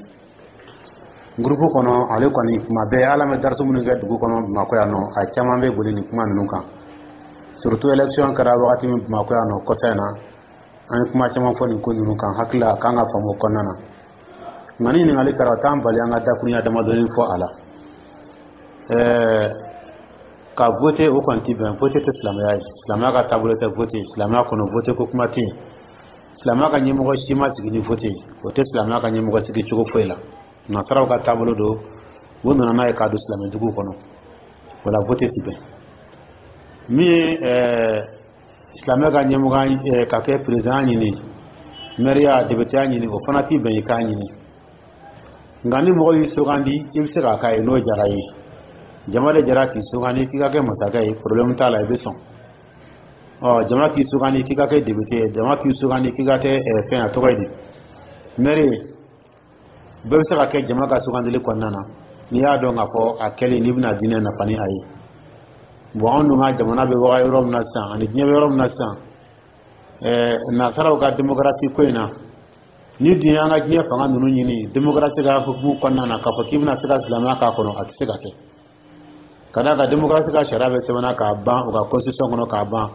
Speaker 2: groupe kɔnɔ. Ale kɔni, kuma bɛɛ ala bɛ dariso minnu kɛ dugu kɔnɔ Bamakɔ yan nɔ, a caman bɛ boli nin kuma ninnu kan, surtout élection kɛra wagati min Bamakɔ yan nɔ kɔsa in na, an ye kuma caman fɔ nin ko ninnu kan. Hakili la, a kan ka faamu o kɔnɔna na. Nka ni ɲininkali kɛra, o t'an bali an ka dakurunya damadɔni fɔ a la. Ka vote, o kɔni ti bɛn. Vote tɛ silamɛya ye, silamɛya ka taabolo tɛ vote. Silamɛya kɔnɔ, vote ko kuma tɛ yen. Silamɛya ka ɲɛmɔgɔ si ma sigi ni vote ye, o tɛ silamɛya ka ɲɛmɔgɔ sigi cogo foyi la. Nasaraw ka taabolo don, u nana n'a ye k'a don silamɛduguw kɔnɔ. O la, vote ti bɛn. Min ye silamɛ ka ɲɛmɔgɔ ka kɛ président ɲini, mɛriya, députéya ɲini, o fana ti bɛn i k'a ɲini. Nka ni mɔgɔ y'i sugandi, i bɛ se k'a k'a ye n'o diyara i ye. Jama de jara k'i sugandi k'i ka kɛ masakɛ ye, problème t'a la, i bɛ sɔn. Ɔ, jama k'i sugandi k'i ka kɛ député ye, jama k'i sugandi k'i ka kɛ fɛn, a tɔgɔ ye di, maire ye, bɛɛ bɛ se ka kɛ jama ka sugandili kɔnɔna na, n'i y'a dɔn k'a fɔ a kɛlen n'i bɛna diinɛ nafa ni a ye. Bon, anw dun ka jamana bɛ waga yɔrɔ min na sisan, ani diɲɛ bɛ yɔrɔ min na sisan, nasaraw ka démocratie ko in na, ni dun y'an ka diɲɛ fanga ninnu ɲini démocratie ka hukumu kɔnɔna na, k'a fɔ k'i bɛna se ka silamɛya k'a kɔnɔ, a tɛ se ka kɛ. Ka d'a kan démocratie ka sariya bɛ sɛbɛnna k'a ban u ka constitution kɔnɔ k'a ban.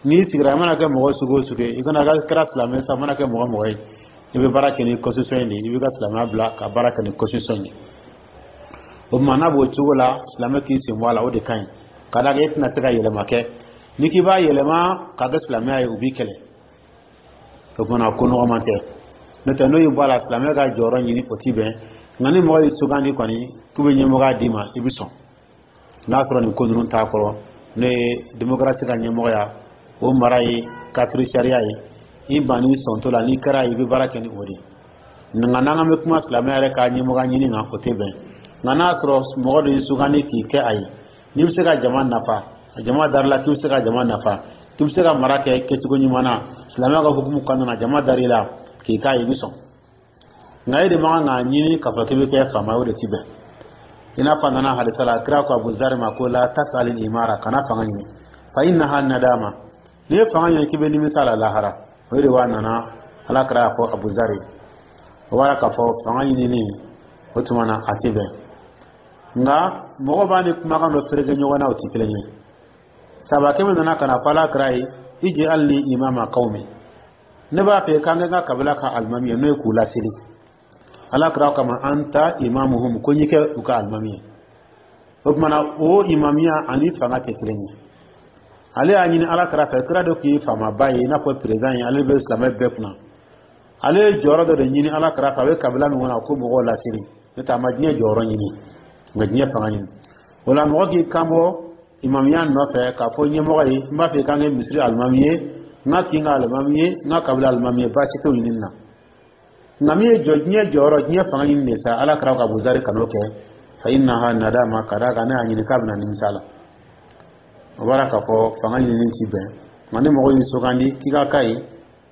Speaker 2: N'i sigira, i mana kɛ mɔgɔ sugu o sugu ye, i kana kɛra silamɛ sa, i mana kɛ mɔgɔ mɔgɔ ye, i bɛ baara kɛ ni constitution in de ye. I b'i ka silamɛya bila ka baara kɛ ni constitution in de ye. O tuma, n'a b'o cogo la, silamɛ k'i sen bɔ a la, o de ka ɲi. Ka d'a kan e tɛna se ka yɛlɛma kɛ. N'i k'i b'a yɛlɛma k'a kɛ silamɛya ye, u b'i kɛlɛ. O kumana, ko nɔgɔman tɛ. N'o tɛ, n'o y'i bɔ a la, silamɛ ka jɔyɔrɔ ɲini, o ti bɛn. Nka ni mɔgɔ y'i sugandi kɔni k'u bɛ ɲɛmɔgɔya d'i ma, i bɛ sɔn, n'a sɔrɔ nin ko ninnu t'a kɔrɔ, n'o ye démocratie ka ɲɛmɔgɔya, o mara ye kafiri sariya ye. I banni sɔntɔ la, n'i kɛra ye, i bɛ baara kɛ ni o de ye. Nka n'an bɛ kuma silamɛ yɛrɛ ka ɲɛmɔgɔya ɲini kan, o tɛ bɛn. Nka n'a sɔrɔ mɔgɔ dɔ y'i sugandi k'i kɛ a ye, n'i bɛ se ka jama nafa, jama darila k'i bɛ se ka jama nafa, k'i bɛ se ka mara kɛ kɛcogo ɲuman na silamɛya ka hukumu kɔnɔna na, jama dar'i la k'i k'a ye, i bɛ sɔn. Nka e de man kan k'a ɲini k'a fɔ k'i bɛ kɛ faama ye, o de ti bɛn. I n'a fɔ a nana hadisa la, kira ko Abu Zari ma ko la tas'alil imara, kana fanga ɲini, fa innaha nadama, n'i ye fanga ɲini k'i bɛ nimisa la lahara. O de b'a nana, Ala kira y'a fɔ Abu Zari. O b'a k'a fɔ fanga ɲinini, o tuma na, a ti bɛn. Nka mɔgɔ b'a ni kumakan dɔ fereke ɲɔgɔn na, o ti kelen ye. Sabakɛ min nana ka na fɔ Ala kira ye, ij'alni imama qawmi, ne b'a fɛ k'an kɛ n ka kabila ka alimami ye, n'o ye k'u laseli. Ala kira kama anta imamuhum, ko n'i kɛ u ka alimami ye. O tuma na, o imamiya ani fanga tɛ kelen ye. Ale y'a ɲini Ala kira fɛ, kira de tun ye faamaba ye, i n'a fɔ président ye, ale bɛ silamɛ bɛɛ kunna. Ale ye jɔyɔrɔ dɔ de ɲini Ala kira fɛ, a bɛ kabila min kɔnɔ, ko mɔgɔw laseli. N'o tɛ, a ma diɲɛ jɔyɔrɔ ɲini, nka diɲɛ fanga ɲini. O la, mɔgɔ k'i kan bɔ imamiya nɔfɛ k'a fɔ ɲɛmɔgɔ ye, n b'a fɛ k'an kɛ misiri alimami ye, n ka kin ka alimami ye, n ka kabila alimami ye, baasi t'o ɲinini na. Nka min ye jɔ diɲɛ jɔyɔrɔ, diɲɛ fanga ɲini de sa, Ala kira ka Abuzari kan'o kɛ, fa innaha nadama, ka d'a kan ne y'a ɲini k'a bɛna nimisa la. O b'a k'a fɔ fanga ɲinini ti bɛn. Nka ni mɔgɔ y'i sugandi k'i ka k'a ye,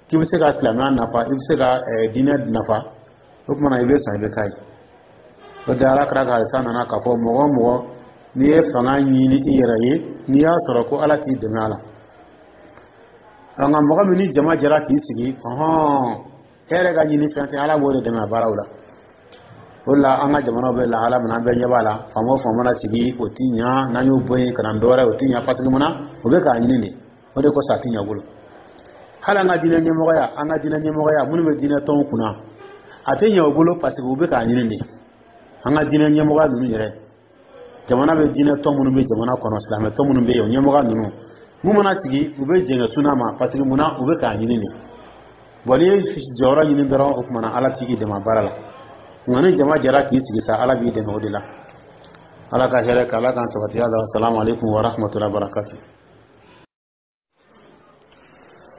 Speaker 2: k'i bɛ se ka silamɛya nafa, i bɛ se ka diinɛ nafa, o tuma na, i bɛ sɔn, i bɛ k'a ye. O de, Ala kira ka hadisa nana k'a fɔ mɔgɔ o mɔgɔ, n'i ye fanga ɲini i yɛrɛ ye, n'i y'a sɔrɔ ko Ala k'i dɛmɛ a la. Nka mɔgɔ min ni jama jɛra k'i sigi, ɔhɔn, e yɛrɛ ka ɲini fɛn tɛ, Ala b'o de dɛmɛ a baaraw la. O de la, an ka jamanaw bɛ lahala min na, an bɛɛ ɲɛ b'a la. Faama o faama mana sigi, o ti ɲa. N'an y'o bɔ yen ka na dɔ wɛrɛ, o ti ɲa, parce que mun na? O bɛ k'a ɲini de, o de kosɔn a ti ɲɛ bolo. Hali an ka diinɛ ɲɛmɔgɔya, an ka diinɛ ɲɛmɔgɔya, minnu bɛ diinɛ tɔnw kunna, a tɛ ɲɛ o bolo, parce que u bɛ k'a ɲini de. An ka diinɛ ɲɛmɔgɔya ninnu yɛrɛ, jamana bɛ diinɛ tɔn minnu bɛ jamana kɔnɔ, silamɛ tɔn minnu bɛ yen, o ɲɛmɔgɔya ninnu, mun mana sigi, u bɛ jɛngɛ suna ma, parce que mun na? U bɛ k'a ɲini de. Bon, n'i ye jɔyɔrɔ ɲini dɔrɔn, o tuma na, Ala t'i dɛmɛ baara la. Nka ni jama jɛra k'i sigi sa, Ala b'i dɛmɛ o de la. Ala ka hɛrɛ kɛ, Ala k'an sabati. Ala salamu aleykum wa rahmatullahi wa barakatuh.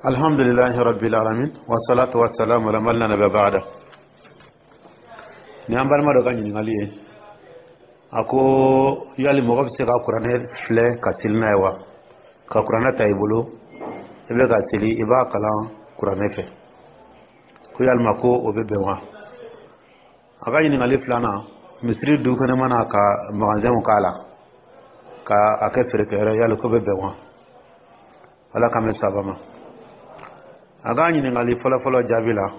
Speaker 2: Alhamdulillahi rabbil alamin, wa salatu wa salam ala man la nabiyya ba'da. Ni an balima dɔ ka ɲininkali ye, a ko yali mɔgɔ bɛ se ka kuranɛ filɛ ka seli n'a ye wa, ka kuranɛ ta i bolo?
Speaker 1: I bɛ ka seli, i b'a kalan kuranɛ fɛ, ko yalima ko o bɛ bɛn wa? A ka ɲininkali filanan, misiri du kɛnɛma na, ka magasinw k'a la ka a kɛ feerekɛyɔrɔ, yali ko bɛ bɛn wa? Ala k'an bɛ saba ma. A ka ɲininkali fɔlɔfɔlɔ jaabi la,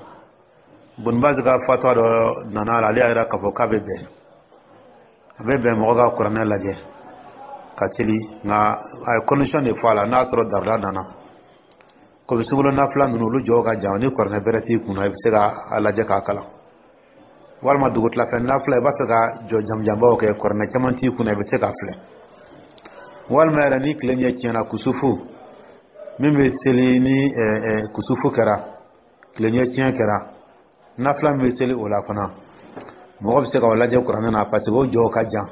Speaker 1: Bunbazi ka fatwa dɔ nana a la. Ale y'a yira k'a fɔ k'a bɛ bɛn, a bɛ bɛn mɔgɔ ka kuranɛ lajɛ ka seli, nka a ye condition de fɔ a la. N'a sɔrɔ darula nana, komi sunkalo nafila ninnu, olu jɔw ka jan, ni kuranɛ bɛrɛ t'i kunna, i bɛ se ka a lajɛ k'a kalan, walima dugutilafɛ nafila, i b'a fɛ ka jɔ jamujanbaw kɛ, kuranɛ caman t'i kunna, i bɛ se k'a filɛ, walima yɛrɛ ni tile ɲɛ tiɲɛna, kusufu min bɛ seli, ni kusufu kɛra, tile ɲɛ tiɲɛ kɛra, nafila min bɛ seli o la fana, mɔgɔ bɛ se ka o lajɛ kuranɛ na, parce que o jɔw ka jan.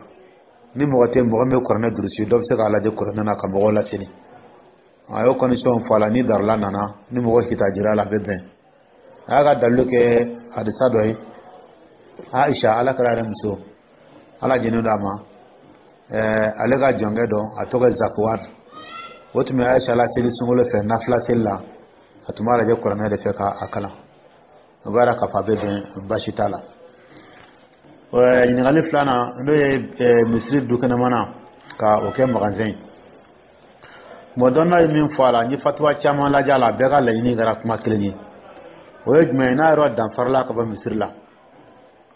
Speaker 1: Ni mɔgɔ tɛ mɔgɔ min bɛ kuranɛ durusi, dɔ bɛ se k'a lajɛ kuranɛ na ka mɔgɔw laseli. A y'o condition fɔ a la. Ni darula nana, ni mɔgɔ hitajira la, a bɛ bɛn. A y'a ka dalilu kɛ hadisa dɔ ye. Aisha, Ala kɛra yɛrɛ muso, Ala jɛnnen don a ma, ale ka jɔnkɛ dɔ, a tɔgɔ ye Zakuwar, o tun bɛ Aisha la seli sunkalo fɛ nafila seli la, a tun b'a lajɛ kuranɛ de fɛ k'a kalan. O b'a yira k'a fɔ a bɛ bɛn, baasi t'a la. Ɲininkali filanan, n'o ye misiri dukɛnɛmana ka o kɛ magasin ye, bon, dɔnna ye min fɔ a la, n ye fatuwa caman lajɛ a la, bɛɛ ka laɲini kɛra kuma kelen ye. O ye jumɛn ye? N'a yɔrɔ danfarala ka bɔ misiri la,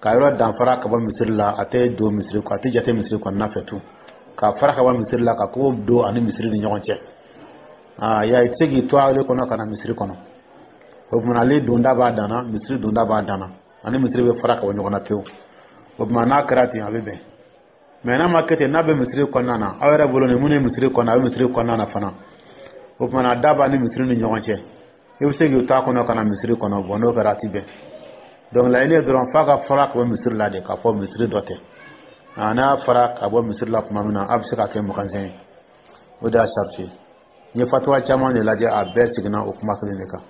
Speaker 1: ka yɔrɔ danfara ka bɔ misiri la, a tɛ don misiri, a tɛ jate misiri kɔnɔna fɛ tun, ka fara ka bɔ misiri la, ka kogo don ani misiri ni ɲɔgɔn cɛ. Aa ya, i tɛ se k'i to ale kɔnɔ ka na misiri kɔnɔ. O tuma, ale donda b'a danna, misiri donda b'a danna, ani misiri bɛ fara ka bɔ ɲɔgɔn na pewu. O tuma, n'a kɛra ten, a bɛ bɛn. Mais n'a ma kɛ ten, n'a bɛ misiri kɔnɔna na, aw yɛrɛ bolo, ni mun ye misiri kɔnɔ, a bɛ misiri kɔnɔna na fana, o tuma na da b'a ni misiri ni ɲɔgɔn cɛ, i bɛ se k'i to a kɔnɔ ka na misiri kɔnɔ. Bon, n'o kɛra, a ti bɛn. Donc laɲini ye dɔrɔn f'a ka fara ka bɔ misiri la de, k'a fɔ misiri dɔ tɛ. N'a fara ka bɔ misiri la tuma min na, a bɛ se ka kɛ magasin ye. O de y'a sariti ye. N ye fatuwa caman de lajɛ, a bɛɛ seginna o kuma kelen de kan.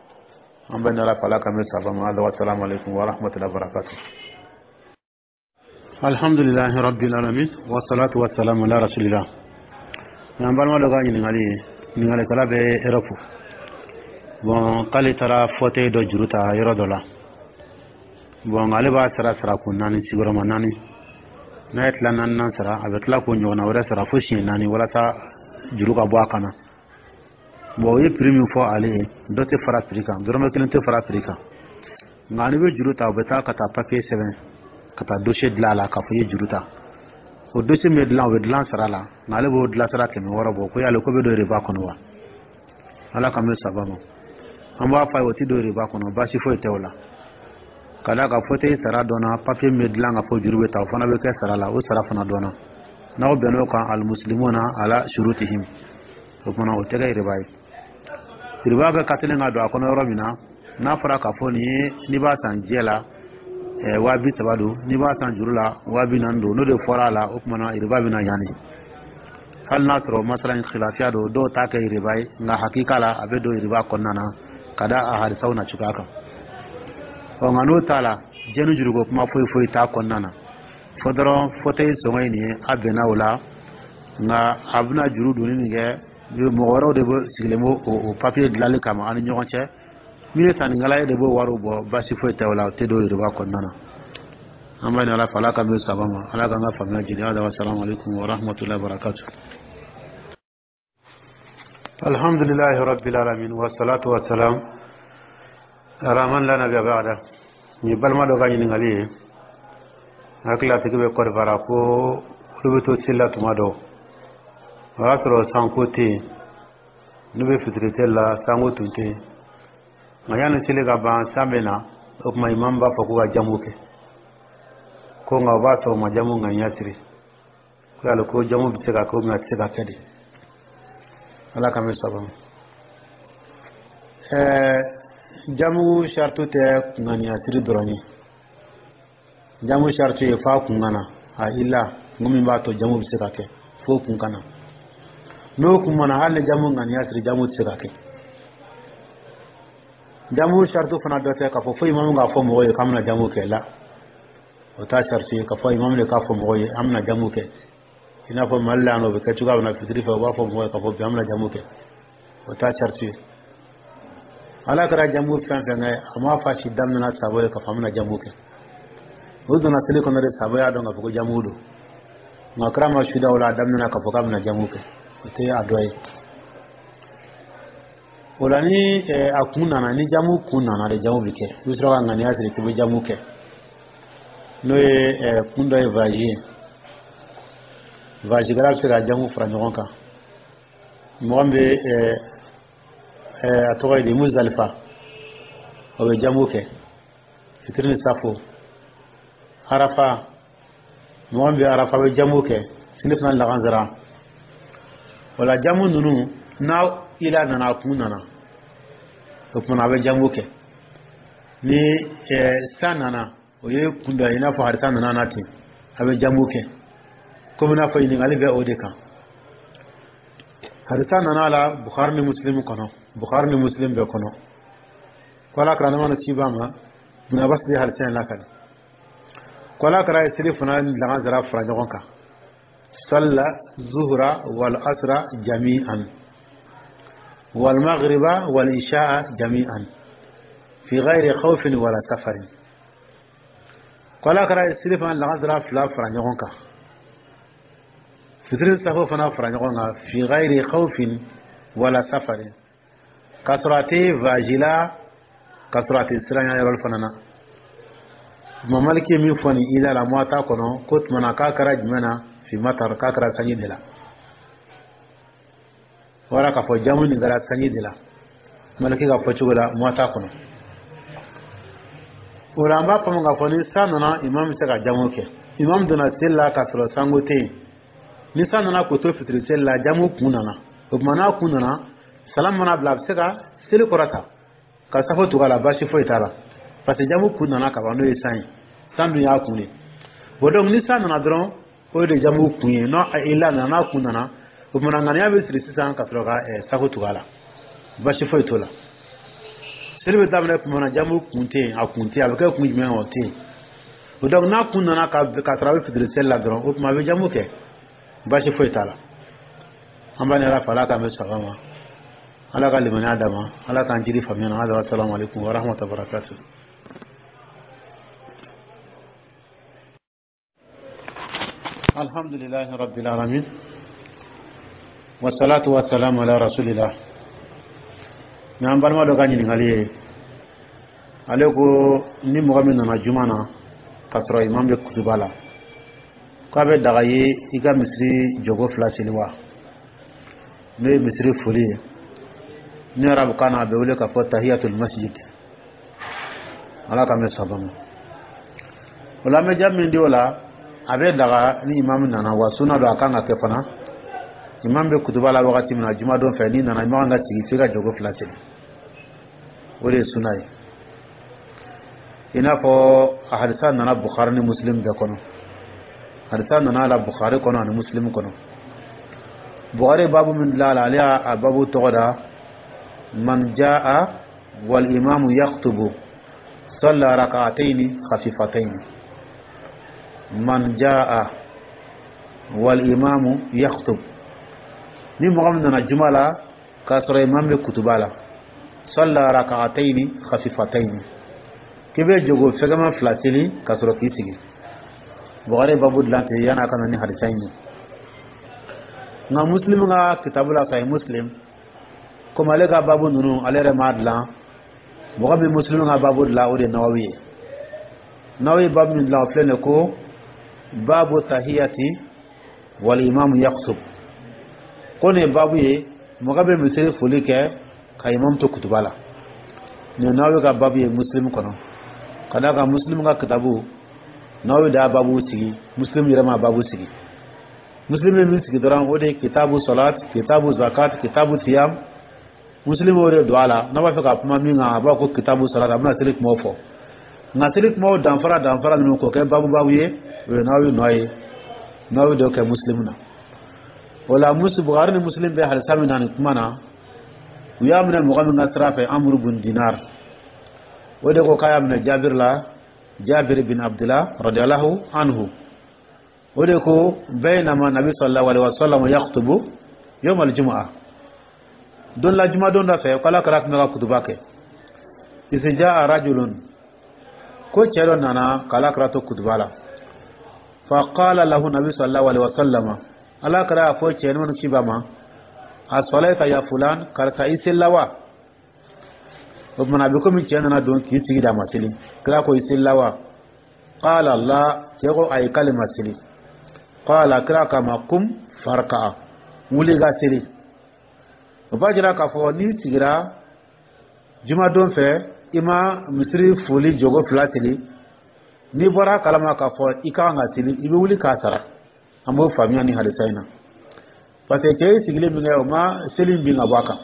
Speaker 1: An bɛ nala fɛ, Ala k'an bɛ saba ma. Ala, salamu aleykum wa rahmatullahi wa barakatuh. Alhamdulilahi rabbil alamin, wasalatu wasalamu ala rasulillah. An balima dɔ ka ɲininkali ye, ɲininkalikɛla bɛ Europe. Bon, k'ale taara fauteuil dɔ juru ta yɔrɔ dɔ la. Bon, ale b'a sara sarakun naani, sigiyɔrɔma naani. N'a ye tila naaninan sara, a bɛ tila k'o ɲɔgɔnna wɛrɛ sara fo siɲɛ naani, walasa juru ka bɔ a kan na. Bon, o ye prix min fɔ ale ye, dɔ tɛ fara prix kan, dɔrɔmɛ kelen tɛ fara prix kan. Nka n'i bɛ juru ta, u bɛ taa ka taa papier sɛbɛn, ka taa dossier dilan a la, k'a fɔ i ye juru ta. O dossier min bɛ dilan, o bɛ dilan sara la, nka ale b'o dilan sara 600 bɔ. Ko yali ko bɛ don riba kɔnɔ wa? Ala k'an bɛ saba ma. An b'a fɔ a ye, o tɛ don riba kɔnɔ, baasi foyi tɛ o la, ka d'a kan fauteuil sara dɔnna, papier min bɛ dilan ka fɔ juru bɛ ta, o fana bɛ kɛ sara la, o sara fana dɔnna. N'aw bɛnn'o kan, almuslimuna ala shurutihim. O kumana, o tɛ kɛ riba ye. Riba bɛ ka teli ka don a kɔnɔ yɔrɔ min na, n'a fɔra k'a fɔ nin ye, n'i b'a san jɛ la, 30.000 don, n'i b'a san juru la, 40.000 don, n'o de fɔra a la, o kumana riba bɛ na yanni. Hali n'a sɔrɔ masala in khilafiya don, dɔw t'a kɛ riba ye, nka hakika la, a bɛ don riba kɔnɔna na, ka da a hadisaw na cogoya kan. Ɔ, nka n'o t'a la, jɛni juruko kuma foyi foyi t'a kɔnɔna na, fɔ dɔrɔn fauteuil sɔngɔ ye nin ye, a bɛnna o la. Nka a bɛna juru donni min kɛ, mɔgɔ wɛrɛw de bɛ sigilen b'o o papier dilanli kama an ni ɲɔgɔn cɛ. Min ye sannikɛla ye de b'o wariw bɔ, baasi foyi tɛ o la, o tɛ don riba kɔnɔna na. An b'a ɲini Ala fɛ, Ala k'an bɛ saba ma, Ala k'an ka faamuya jidi. Hada, salamu aleykum wa rahmatullahi wa barakatuh. Alhamdulillahi rabbil alamin, wa salatu wa salam ala man la nabiyya ba'da. Ni balima dɔ ka ɲininkali ye, hakili a tigi bɛ Kɔdiwari, ko olu bɛ to seli la tuma dɔ, o y'a sɔrɔ sanko tɛ yen, n'u bɛ fitiri seli la, sanko tun tɛ yen, nka yanni seli ka ban, san bɛ na. O tuma, imamu b'a fɔ ko ka jamu kɛ, ko nka o b'a sɔrɔ o ma jamu ŋaniya siri. Ko yali ko jamu bɛ se ka kɛ ou bien a tɛ se ka kɛ de? Ala k'an bɛ saba ma. Jamu saritu tɛ ŋaniya siri dɔrɔn ye. Jamu saritu ye f'a kun ka na a i la, kun min b'a to jamu bɛ se ka kɛ, f'o kun ka na. N'o kun ma na, hali ni jamu ŋaniya siri, jamu tɛ se ka kɛ. Jamu saritu fana dɔ tɛ k'a fɔ fo imamu k'a fɔ mɔgɔw ye k'an bɛna jamu kɛ la. O t'a saritu ye k'a fɔ imamu de k'a fɔ mɔgɔw ye an bɛna jamu kɛ, i n'a fɔ Mali la yan nɔ, o bɛ kɛ cogoya min na fitiri fɛ, u b'a fɔ mɔgɔw ye k'a fɔ bi an bɛna jamu kɛ. O t'a saritu ye.
Speaker 2: Ala kɛra jamu fɛn fɛn kɛ, a m'a fɔ a si daminɛna sabo ye k'a fɔ an bɛna jamu kɛ. O donna seli kɔnɔ de, sabo y'a dɔn k'a fɔ ko jamu don, nka kira ma suda o la a daminɛna k'a fɔ k'a bɛna jamu kɛ, o tɛ a dɔ ye. O la, ni a kun nana, ni jamu kun nana de, jamu bɛ kɛ. I bɛ sɔrɔ ka ŋaniya siri k'i bɛ jamu kɛ, n'o ye kun dɔ ye voyage ye. Voyage kɛla bɛ se ka jamu fara ɲɔgɔn kan. Mɔgɔ min bɛ, a tɔgɔ ye di, Muzdalifa, o bɛ jamu kɛ fitiri ni safo. Arafa, mɔgɔ min bɛ Arafa bɛ jamu kɛ seli fana, lagansara. O la, jamu ninnu n'a ila nana, a kun nana, o tuma a bɛ jamu kɛ. Ni san nana, o ye kun dɔ ye, i n'a fɔ hadisa nana na ten, a bɛ jamu kɛ. Komi n'a fɔ ɲininkali bɛ o de kan, hadisa nana la Bukhari ni Muslim kɔnɔ, Bukhari ni Muslim bɛɛ kɔnɔ, ko Ala kɛra nama ci b'a ma. Ibn Abbas de hadisa in lakali ko Ala kɛra ye seli fana ni lagansara fara ɲɔgɔn kan: salla zuhra wal asra jami'an wal maghriba wal isha'a jami'an fi ghairi khawfin wala safarin. Ko Ala kɛra ye seli fana lagansara fila fara ɲɔgɔn kan, fitiri safo fana fara ɲɔgɔn kan, fi ghairi khawfin wala safarin, k'a sɔrɔ a tɛ voyage la, k'a sɔrɔ a tɛ siranya yɔrɔ fana na. Imam Maliki ye min fɔ nin ila la Muwata kɔnɔ, ko tuma na k'a kɛra jumɛn na? Fi matar, k'a kɛra sanji de la. Wala k'a fɔ jamu nin kɛra sanji de la, Maliki ka fɔ cogo la Muwata kɔnɔ. O la, an b'a faamu k'a fɔ ni san nana, imam bɛ se ka jamu kɛ. Imam donna seli la k'a sɔrɔ sanko tɛ yen. Ni san nana k'o to fitiri seli la, jamu kun nana. O tuma n'a kun nana, salam mana bila, a bɛ se ka seli kɔrɔta ka safo tugu a la, baasi foyi t'a la, parce que jamu kun nana ka ban, n'o ye san ye. San dun y'a kun de. Bon, donc ni san nana dɔrɔn, o de jamu kun ye. N'o ila nana, n'a kun nana, o tuma ŋaniya bɛ siri sisan ka sɔrɔ ka safo tugu a la, baasi foyi t'o la. Seli bɛ daminɛ tuma na, jamu kun tɛ yen, a kun tɛ yen. A bɛ kɛ kun jumɛn? O tɛ yen. O donc n'a kun nana ka sɔrɔ a bɛ fitiri seli la dɔrɔn, o tuma a bɛ jamu kɛ, baasi foyi t'a la. An b'a ni Ala fɛ, Ala k'an bɛ sɔn ma, Ala ka limaniya d'a ma, Ala k'an jiri faamuya na. Hada, assalamu alaikum wa rahmatullahi wa barakatuh. Alhamdulillahi rabbil alamin, wasalatu wasalamu ala rasulillah. Ni an balima dɔ ka ɲininkali ye, ale ko ni mɔgɔ min nana juma na k'a sɔrɔ imam bɛ kutuba la, k'a bɛ daga ye i ka misiri jɔgo fila seli wa? N'o ye misiri foli ye, ni arabukan na a bɛ wele k'a fɔ tahiyatul masjid. Ala ka mɛn saba ma. O la, an bɛ jaabi min di o la, a bɛ daga ni imam nana wa, sunna don, a kan ka kɛ fana. Imam bɛ kutuba la wagati min na jumadon fɛ, n'i nana, i man kan ka sigi f'i ka jɔgo fila seli. O de ye sunna ye. I n'a fɔ a hadisa nana Bukhari ni Muslim bɛɛ kɔnɔ, hadisa nana la Bukhari kɔnɔ ani Muslim kɔnɔ. Bukhari babu min dilan a la, ale y'a babu tɔgɔ da: man jaa wal imamu yaktubu salla rak'ataini khafifataini. Man jaa wal imamu yaktub, ni mɔgɔ min nana juma la k'a sɔrɔ imam bɛ kutuba la, salla rak'ataini khafifataini, k'i bɛ jogo fɛgɛman fila seli ka sɔrɔ k'i sigi. Bukhari babu dilan ten yan'a ka na ni hadisa in ye. Nka Muslim ka kitabu la, Sahih Muslim, komi ale ka babu ninnu ale yɛrɛ m'a dilan, mɔgɔ min Muslim ka babu dilan, o de ye Nawawi ye. Nawawi babu min dilan, o filɛ nin ye, ko babu tahiyati wal imamu yaktub, ko nin ye babu ye, mɔgɔ bɛ misiri foli kɛ ka imam to kutuba la. Nin ye Nawawi ka babu ye Muslim kɔnɔ. Ka d'a kan Muslim ka kitabu, Nawawi de y'a babu sigi, Muslim yɛrɛ ma babu sigi. Muslim bɛ min sigi dɔrɔn, o de ye kitabu salat, kitabu zakat, kitabu siyam. Muslim o de don a la. N'a b'a fɛ ka kuma min kan, a b'a ko kitabu salat, a bɛna seli kumaw fɔ. Nka seli kumaw danfara danfara ninnu k'o kɛ babu babu ye, o ye Nawawi nɔ ye. Nawawi de y'o kɛ Muslim na. O la, Bukhari ni Muslim bɛ hadisa min na nin kuma na, u y'a minɛ mɔgɔ min ka sira fɛ, Amru bun Dinar, o de ko k'a y'a minɛ Jabir la, Jabir bin Abdullah radiyallahu anhu. O de ko baynama nabi sallallahu alaihi wasallam yaktubu yawm al-jumu'ah, don la jumadon dɔ fɛ, k'Ala kɛra tun bɛ ka kutuba kɛ.
Speaker 1: Iz jaa rajulun, ko cɛ dɔ nana k'Ala kira to kutuba la. Fa qala lahu nabi sallallahu alaihi wasallam, Ala kira y'a fɔ cɛ ninnu kiba ma: asalaita ya fulan, karisa, i selila wa? O tuma, a bɛ komi cɛ nana don k'i sigi da ma seli. Kira ko: i selila wa? Qala la, cɛ ko ayi, k'ale ma seli. Qala, kira k'a ma: kum farka, wuli ka seli. O b'a jira k'a fɔ n'i sigira jumadon fɛ, i ma misiri foli jogo fila seli, n'i bɔra a kalama k'a fɔ i ka kan ka seli, i bɛ wuli k'a sara. An b'o faamuya ni hadisa in na, parce que cɛ ye sigili min kɛ, o ma seli bin ka bɔ a kan.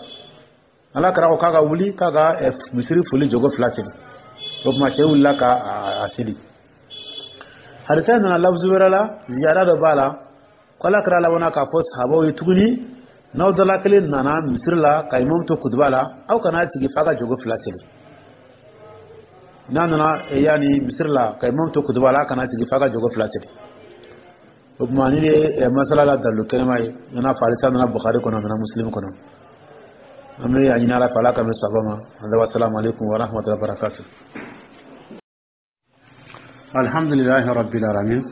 Speaker 1: Ala kɛra ko k'a ka wuli k'a ka misiri foli jogo fila seli. O tuma, cɛ wulila ka a seli. Hadisa in nana lafuzu wɛrɛ la, ziyara dɔ b'a la, ko Ala kɛra labanna k'a fɔ sahabaw ye tuguni: n'aw dala kelen nana misiri la ka imamu to kutuba la, aw kana sigi f'a ka jogo fila seli. N'a nana yanni misiri la ka imamu to kutuba la, a kana sigi f'a ka jogo fila seli. O tuma, ni ye masala la dalilu kɛnɛma ye, i n'a fɔ hadisa nana Bukhari kɔnɔ, nana Muslim kɔnɔ. An bɛ a ɲini Ala fɛ, Ala ka bɛn saba ma. Wa alaikum wa rahmatullahi wa barakatuh. Alhamdulillahi rabbil alamin,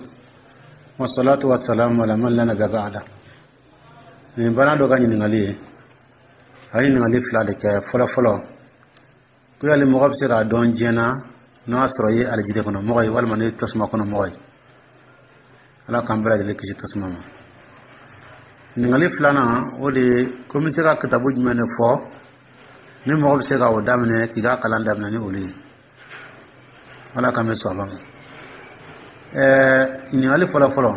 Speaker 1: wassalatu wassalamu ala man la nabiyya ba'da. Nin bana dɔ ka ɲininkali ye, a ye ɲininkali fila de kɛ. Fɔlɔ fɔlɔ, ko yali mɔgɔ bɛ se k'a dɔn diɲɛ na n'a y'a sɔrɔ i ye alijinɛ kɔnɔ mɔgɔ ye walima n'i ye tasuma kɔnɔ mɔgɔ ye? Ala k'an bɛɛ lajɛlen kisi tasuma ma. Ɲininkali filanan, o de ye ko n bɛ se ka kitabu jumɛn de fɔ ni mɔgɔ bɛ se ka o daminɛ, k'i ka kalan daminɛ ni olu ye? Ala k'an bɛ sɔn a ma. Ɲininkali fɔlɔ fɔlɔ,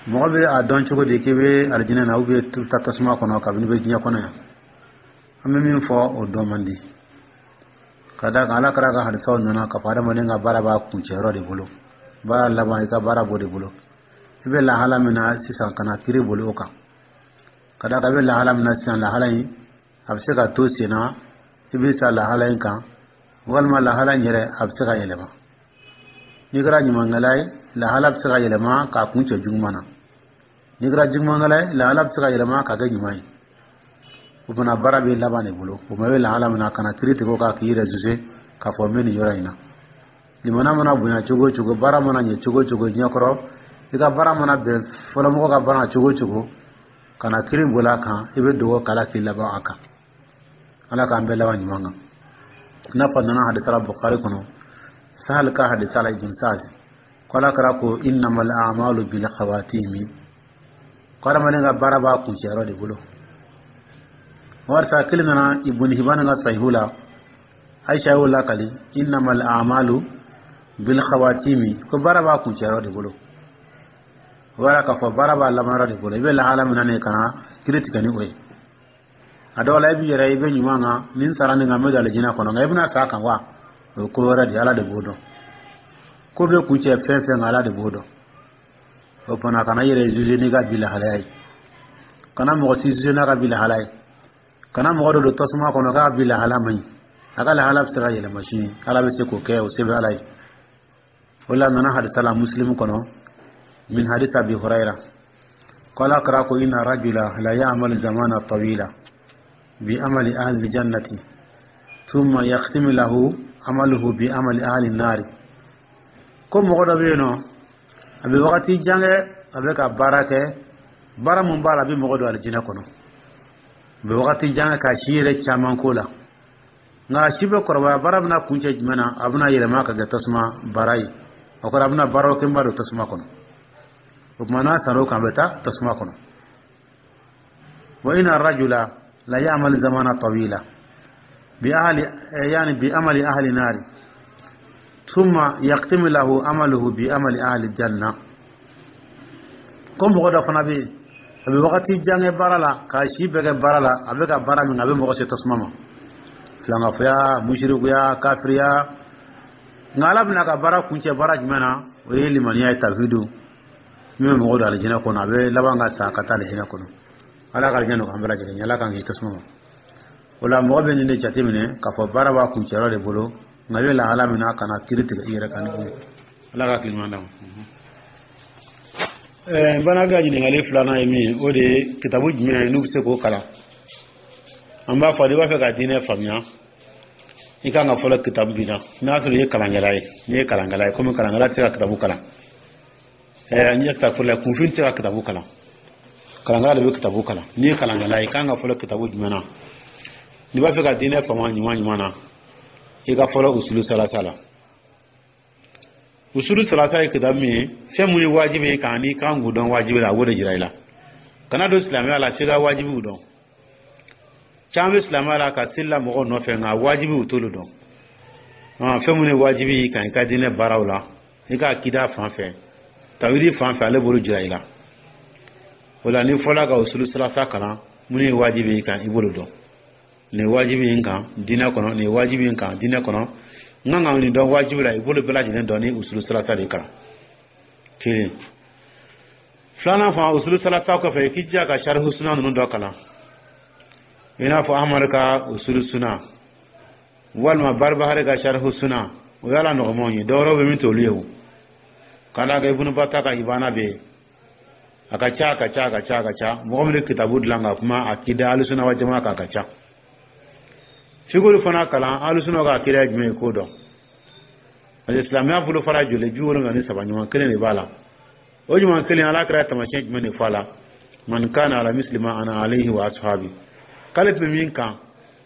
Speaker 1: mɔgɔ bɛ a dɔn cogo di k'i bɛ alijinɛ na ou bien taa tasuma kɔnɔ kabini bɛ diɲɛ kɔnɔ yan? An bɛ min fɔ, o dɔn man di, ka d'a kan Ala kɛra ka hadisaw nana k'a fɔ adamaden ka baara b'a kuncɛyɔrɔ de bolo, baara laban, i ka baara b'o de bolo. I bɛ lahala min na sisan, ka na kiiri boli o kan, ka d'a kan i bɛ lahala min na sisan, lahala in a bɛ se ka to sen na, i bɛ sa lahala in kan, walima lahala in yɛrɛ a bɛ se ka yɛlɛma. N'i kɛra ɲumankɛla ye, lahala bɛ se ka yɛlɛma k'a kun cɛ juguman na. N'i kɛra jugumankɛla ye, lahala bɛ se ka yɛlɛma k'a kɛ ɲuman ye. O fana, baara bɛ laban de bolo. O ma, i bɛ lahala min na, kana kiiri tigɛ o kan k'i yɛrɛ juger k'a fɔ n bɛ nin yɔrɔ in na. Limana mana bonya cogo o cogo, baara mana ɲɛ cogo o cogo ɲɛkɔrɔ, i ka baara mana bɛn fɔlɔmɔgɔ ka baara cogo o cogo, kana kiiri boli a kan. I bɛ dugawu k'ala k'i laban a kan. Ala k'an bɛɛ laban ɲuman kan. I n'a fɔ nana hadisa la Bukhari kɔnɔ, Sahal ka hadisa la, Ibn Sa'd, ko Ala kɛra ko innamal a'malu bil khawatimi, ko adamaden ka baara b'a kuncɛyɔrɔ de bolo. Warisa kelen nana Ibn Hibban ka sahihu la, Aisha y'o lakali: innamal a'malu bil khawatimi, ko baara b'a kuncɛyɔrɔ de bolo. O b'a k'a fɔ baara b'a laban yɔrɔ de bolo. I bɛ lahala min na nin, kana kiiri tigɛ ni o ye. A dɔw la, i b'i yɛrɛ, i bɛ ɲuman kan, ni n sara nin kan, n bɛ don alijinɛ kɔnɔ, nka i bɛna sa kan wa, o ye ko wɛrɛ de ye. Ala de b'o dɔn. Ko bɛ kuncɛ fɛn fɛn kan, Ala de b'o dɔn. O fana, kana i yɛrɛ juger n'i ka bi lahalaya ye, kana mɔgɔ si juger n'a ka bi lahala ye, kana mɔgɔ dɔ don tasuma kɔnɔ k'a bi lahala man ɲi. A ka lahala bɛ se ka yɛlɛma sini, Ala bɛ se k'o kɛ, o se bɛ Ala ye. O la, nana hadisa la Muslim kɔnɔ, min hadisa Abi Hurayra, ko Ala kɛra ko inna rajula la ya'malu zamana tawila bi amali ahli jannati thumma yakhtimu lahu amaluhu bi amali ahli nari. Ko mɔgɔ dɔ bɛ yen nɔ, a bɛ wagati jan kɛ, a bɛ ka baara kɛ, baara mun b'a la, a bɛ mɔgɔ don alijinɛ kɔnɔ. A bɛ wagati jan kɛ k'a si yɛrɛ caman ko la, nka a si bɛ kɔrɔbaya, baara bɛna kuncɛ jumɛn na? A bɛna yɛlɛma ka kɛ tasuma baara ye. O kɔrɔ, a bɛna baara kɛ n b'a don tasuma kɔnɔ. O tuma, n'a sar'o kan, a bɛ taa tasuma kɔnɔ. Wa inna rajula la ya'mal zamana tawila bi ahli, yani bi amali ahli nari, thumma yaqtimu lahu amaluhu bi amali ahli janna. Ko mɔgɔ dɔ fana bɛ yen, a bɛ wagati jan kɛ baara la, k'a si bɛɛ kɛ baara la, a bɛ ka baara min kɛ, a bɛ mɔgɔ se tasuma ma, filankafoya, musirikuya, kafiriya. Nka Ala bɛna ka baara kuncɛ baara jumɛn na? O ye limaniya ye, tawhidu, min bɛ mɔgɔ don alijinɛ kɔnɔ. A bɛ laban ka sa ka taa alijinɛ kɔnɔ. Ala ka alijinɛ nɔgɔya an bɛɛ lajɛlen ye, Ala k'an k'i tasuma ma. O la, mɔgɔ bɛ nin de jateminɛ k'a fɔ baara b'a kuncɛyɔrɔ de bolo, nka i bɛ lahala min na, kana kiiri tigɛ i yɛrɛ kan ni o ye. Ala ka hakili ɲuman d'an ma. N fana ka ɲininkali filanan ye min ye, o de ye kitabu jumɛn ye n'u bɛ se k'o kalan? An b'a fɔ, n'i b'a fɛ ka diinɛ faamuya I kan ka fɔlɔ kitabu min na, n'a sɔrɔ i ye kalankɛla ye, n'i ye kalankɛla ye, komi kalankɛla tɛ se ka kitabu kalan, n ye kitabu la, kunfin tɛ se ka kitabu kalan, kalankɛla de bɛ kitabu kalan. N'i ye kalankɛla ye, i kan ka fɔlɔ kitabu jumɛn na? N'i b'a fɛ ka diinɛ faamu ɲuman ɲuman na, i ka fɔlɔ Usulu Salasa la. Usulu Salasa ye kitabu min ye, fɛn mun ye wajibi ye kan n'i kan k'o dɔn wajibi la, a b'o de jira i la. Kana don silamɛya la f'i ka wajibiw dɔn. Caman bɛ silamɛya la ka seli la mɔgɔw nɔfɛ, nka wajibiw t'olu dɔn. Fɛn mun ye wajibi ye kan i ka diinɛ baaraw la, i ka akida fan fɛ, tawhidi fan fɛ, ale b'olu jira i la. O la, n'i fɔla ka Usulu Salasa kalan, mun ye wajibi ye kan, i b'olu dɔn. Nin ye wajibi ye n kan diinɛ kɔnɔ, nin ye wajibi ye n kan diinɛ kɔnɔ, n kan ka nin dɔn wajibi la, i b'olu bɛɛ lajɛlen dɔn ni Usulu Salasa de kalan. Kelen filanan fana, Usulu Salasa kɔfɛ, i k'i jija ka Sarihu Suna ninnu dɔ kalan, i n'a fɔ Amadu ka Usulu Suna walima Baribahari ka Sarihu Suna. O y'a la nɔgɔmanw ye. Dɔwɛrɛw bɛ min t'olu ye. O ka d'a kan Ibunu Bata ka Ibana bɛ yen. A ka ca, a ka ca, a ka ca, a ka ca. Mɔgɔ min bɛ kitabu dilan ka kuma akida Alusuna wa jama kan, a ka ca. F'i k'olu fana kalan. Alusuna ka akida ye jumɛn ye, k'o dɔn, parce que silamɛya bolo fara joli 73, ɲuman kelen de b'a la. O ɲuman kelen, Ala kɛra taamasiyɛn jumɛn de fɔ a la? Man kana ala misli ma ana alayhi wa ashabi. K'ale tun bɛ min kan,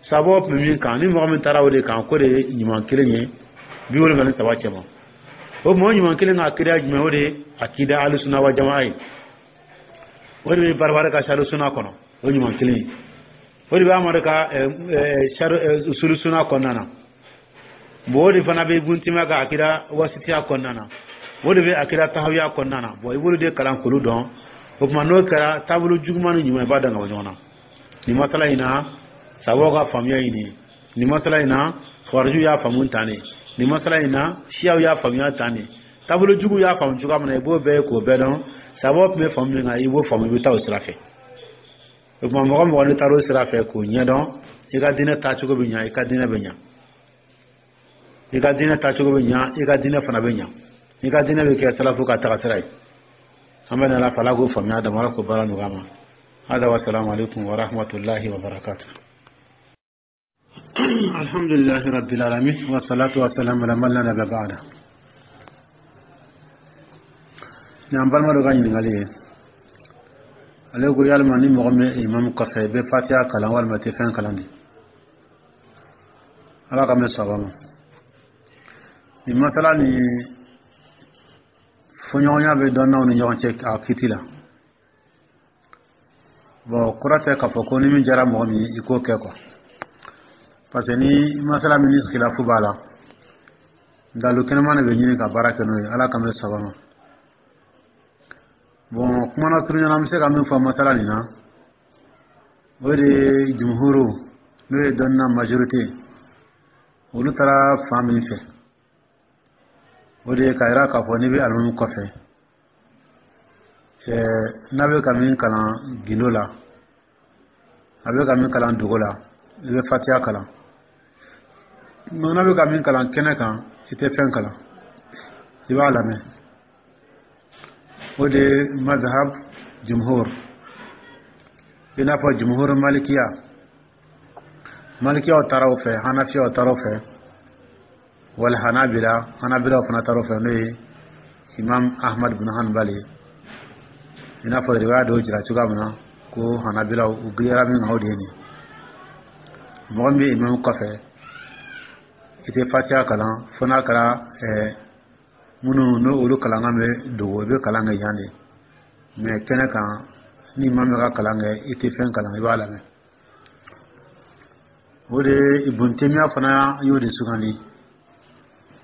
Speaker 1: sababu tun bɛ min kan, ni mɔgɔ min taara o de kan, k'o de ye ɲuman kelen ye 73 cɛma. O mɔgɔ ɲuman kelen ka akida jumɛn? O de ye akida Alusuna wa jama ye. O de bɛ Baribari ka Sari Suna kɔnɔ, o ɲuman kelen ye. O de bɛ Amadu ka Usulu Suna kɔnɔna na. Bon, o de fana bɛ Ibun Timiya ka akida Wasitiya kɔnɔna na, o de bɛ akida Tahawiya kɔnɔna na. Bon, i b'olu de kalan k'olu dɔn. O tuma, n'o kɛra, taabolo juguman ni ɲuman, i b'a dɔn ka bɔ ɲɔgɔn na. Nin masala in na, sabaw ka faamuya ye nin ye. Nin masala in na, khawariju y'a faamu tan de. Nin masala in na, siyaw y'a faamuya tan de. Taabolo jugu y'a faamu cogoya min na, i b'o bɛɛ ye k'o bɛɛ dɔn. Sabaw tun bɛ faamu min kan, i b'o faamu, i bɛ taa o sira fɛ. O tuma, mɔgɔ mɔgɔ n'i taara o sira fɛ k'o ɲɛdɔn, i ka diinɛ taacogo bɛ ɲa, i ka diinɛ bɛ ɲa, i ka diinɛ taacogo bɛ ɲa, i ka diinɛ fana bɛ ɲa, i ka diinɛ bɛ kɛ salafu ka taga sira ye. An bɛ nana fɛ, Ala k'o faamuya dama, Ala k'o baara nɔgɔya ma. Hada wa salamu alaikum wa rahmatullahi wa barakatuh. Alhamdulillahi rabbil alamin, wa salatu wa salam ala man la nabiyya ba'da. Ni an balima dɔ ka ɲininkali ye, ale ko yalima ni mɔgɔ min imamu kɔfɛ, i bɛ Fatiha kalan walima i tɛ fɛn kalan de? Ala ka mɛn saba ma. Nin masala ni fɔɲɔgɔnya bɛ dɔnnaw ni ɲɔgɔn cɛ a kiti la. Bon, kɔrɔ tɛ k'a fɔ ko ni min diyara mɔgɔ min ye, i k'o kɛ quoi, parce que ni masala min ni khilafu b'a la, dalu kɛnɛman de bɛ ɲini ka baara kɛ n'o ye. Ala ka mɛn saba ma. Bon, kuma na surunya na, an bɛ se ka min fɔ masala nin na, o de ye jumhuru, n'o ye dɔnniya majorité, olu taara fan min fɛ, o de ye k'a yira k'a fɔ n'i bɛ alimami kɔfɛ, n'a bɛ ka min kalan gindo la, a bɛ ka min kalan dogo la, i bɛ Fatiya kalan. N'a bɛ ka min kalan kɛnɛ kan, i tɛ fɛn kalan, i b'a lamɛn. O de ye mazhab jumhur, i n'a fɔ jumhur malikiya. Malikiyaw taara o fɛ, hanafiyaw taara o fɛ, wal hanabila, hanabilaw fana taara o fɛ, n'o ye Imam Ahmad bin Hanbali ye. I n'a fɔ riwaya dɔw jira cogoya min na ko hanabilaw u giriyara min kan, o de ye nin. Mɔgɔ min bɛ imam kɔfɛ, i tɛ Fatiha kalan, fo n'a kɛra minnu n'olu kalankan bɛ dogo, i bɛ kalan kɛ yan de. Mais kɛnɛ kan, ni imam bɛ ka kalan kɛ, i tɛ fɛn kalan, i b'a lamɛn. O de ye Ibun Temiya fana y'o de sugandi.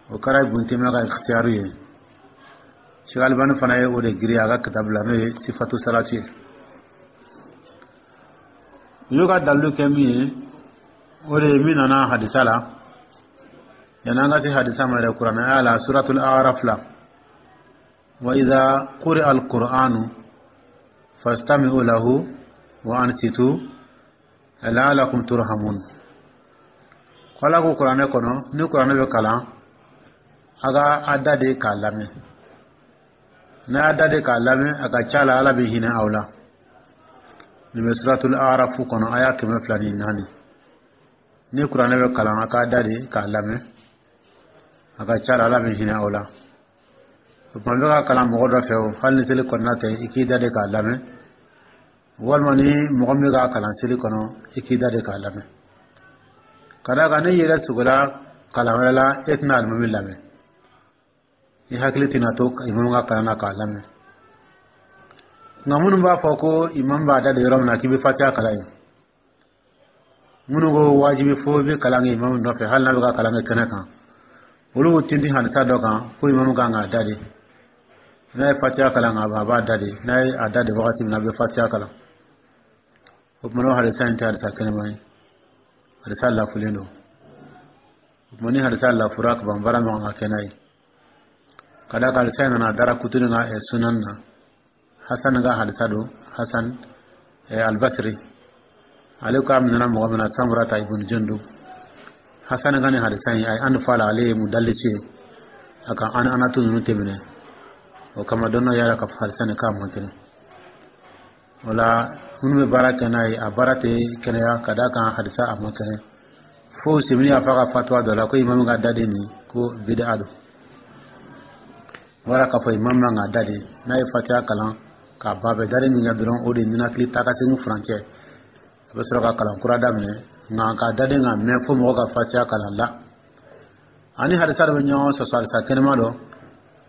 Speaker 1: O kɛra Ibun Temiya ka ikhtiyari ye. Sheikh Albani fana ye o de giriya a ka kitabu la, n'o ye Sifatu Salatu ye. U y'u ka dalilu kɛ min ye, o de ye min nana hadisa la. Yanni an ka se hadisa ma yɛrɛ, kuranɛ aya la, Suratul Araf la: wa idha quri'a al-Qur'anu fastami'u lahu wa ansitu la'alakum turhamun. Ko Ala ko kuranɛ kɔnɔ, ni kuranɛ bɛ kalan, a ka a da de k'a lamɛn. N'a y'a da de k'a lamɛn, a ka ca la Ala bɛ hinɛ aw la. Nin bɛ Suratul Arafu kɔnɔ, aya 204. Ni kuranɛ bɛ kalan, a k'a da de k'a lamɛn. A ka ca la, Ala bɛ hinɛ aw la. O tuma bɛ ka kalan mɔgɔ dɔ fɛ, o hali ni seli kɔnɔna tɛ, i k'i da de k'a lamɛn, walima ni mɔgɔ min bɛ k'a kalan seli kɔnɔ, i k'i da de k'a lamɛn. Ka d'a kan n'i yɛrɛ sogola kalan wɛrɛ la, e tɛna alimami lamɛn, i hakili tɛna to imamu ka kalan na k'a lamɛn. Nka minnu b'a fɔ ko imamu b'a da de yɔrɔ min na k'i bɛ fatiya kalan yen, minnu ko wajibi fo i bɛ kalan kɛ imamu nɔfɛ hali n'a bɛ ka kalan kɛ kɛnɛ kan, olu b'u tintin hadisa dɔ kan ko imamu kan k'a da de. N'a ye fatiya kalan ka ban, a b'a da de. N'a ye a da de wagati min na, a bɛ fatiya kalan. O tuma, n'o hadisa in tɛ hadisa kɛnɛma ye, hadisa lafulen don. O tuma, ni hadisa lafura ka ban, baara min kan ka kɛ n'a ye, ka d'a kan hadisa in nana Darakutuni ka sunan na, Hasan ka hadisa don, Hasan Albasiri, ale ko a minɛna mɔgɔ min na, Samurata ibn Jundub. Hasan ka nin hadisa in, a ye an fa la, ale ye mudalisi ye, a ka an anatu ninnu tɛ minɛ. O kama dɔnna y'a ka hadisa nin k'a man kɛnɛ. O la, minnu bɛ baara kɛ n'a ye, a baara tɛ kɛnɛya, ka d'a kan hadisa a man kɛnɛ. Fo Simini y'a fɔ a ka fatuwa dɔ la ko imamu ka daden nin ko bid'a don. Wara k'a fɔ imamu man ka da de, n'a ye fatiya kalan k'a ban, bɛ daden min kɛ dɔrɔn, o de ye ninakili taa ka segin furancɛ, a bɛ sɔrɔ ka kalan kura daminɛ. Nka ka daden ka mɛn fo mɔgɔ ka fatiya kalan la, ani hadisa dɔ bɛ ɲɔgɔn sɔsɔ. Hadisa kɛnɛma dɔ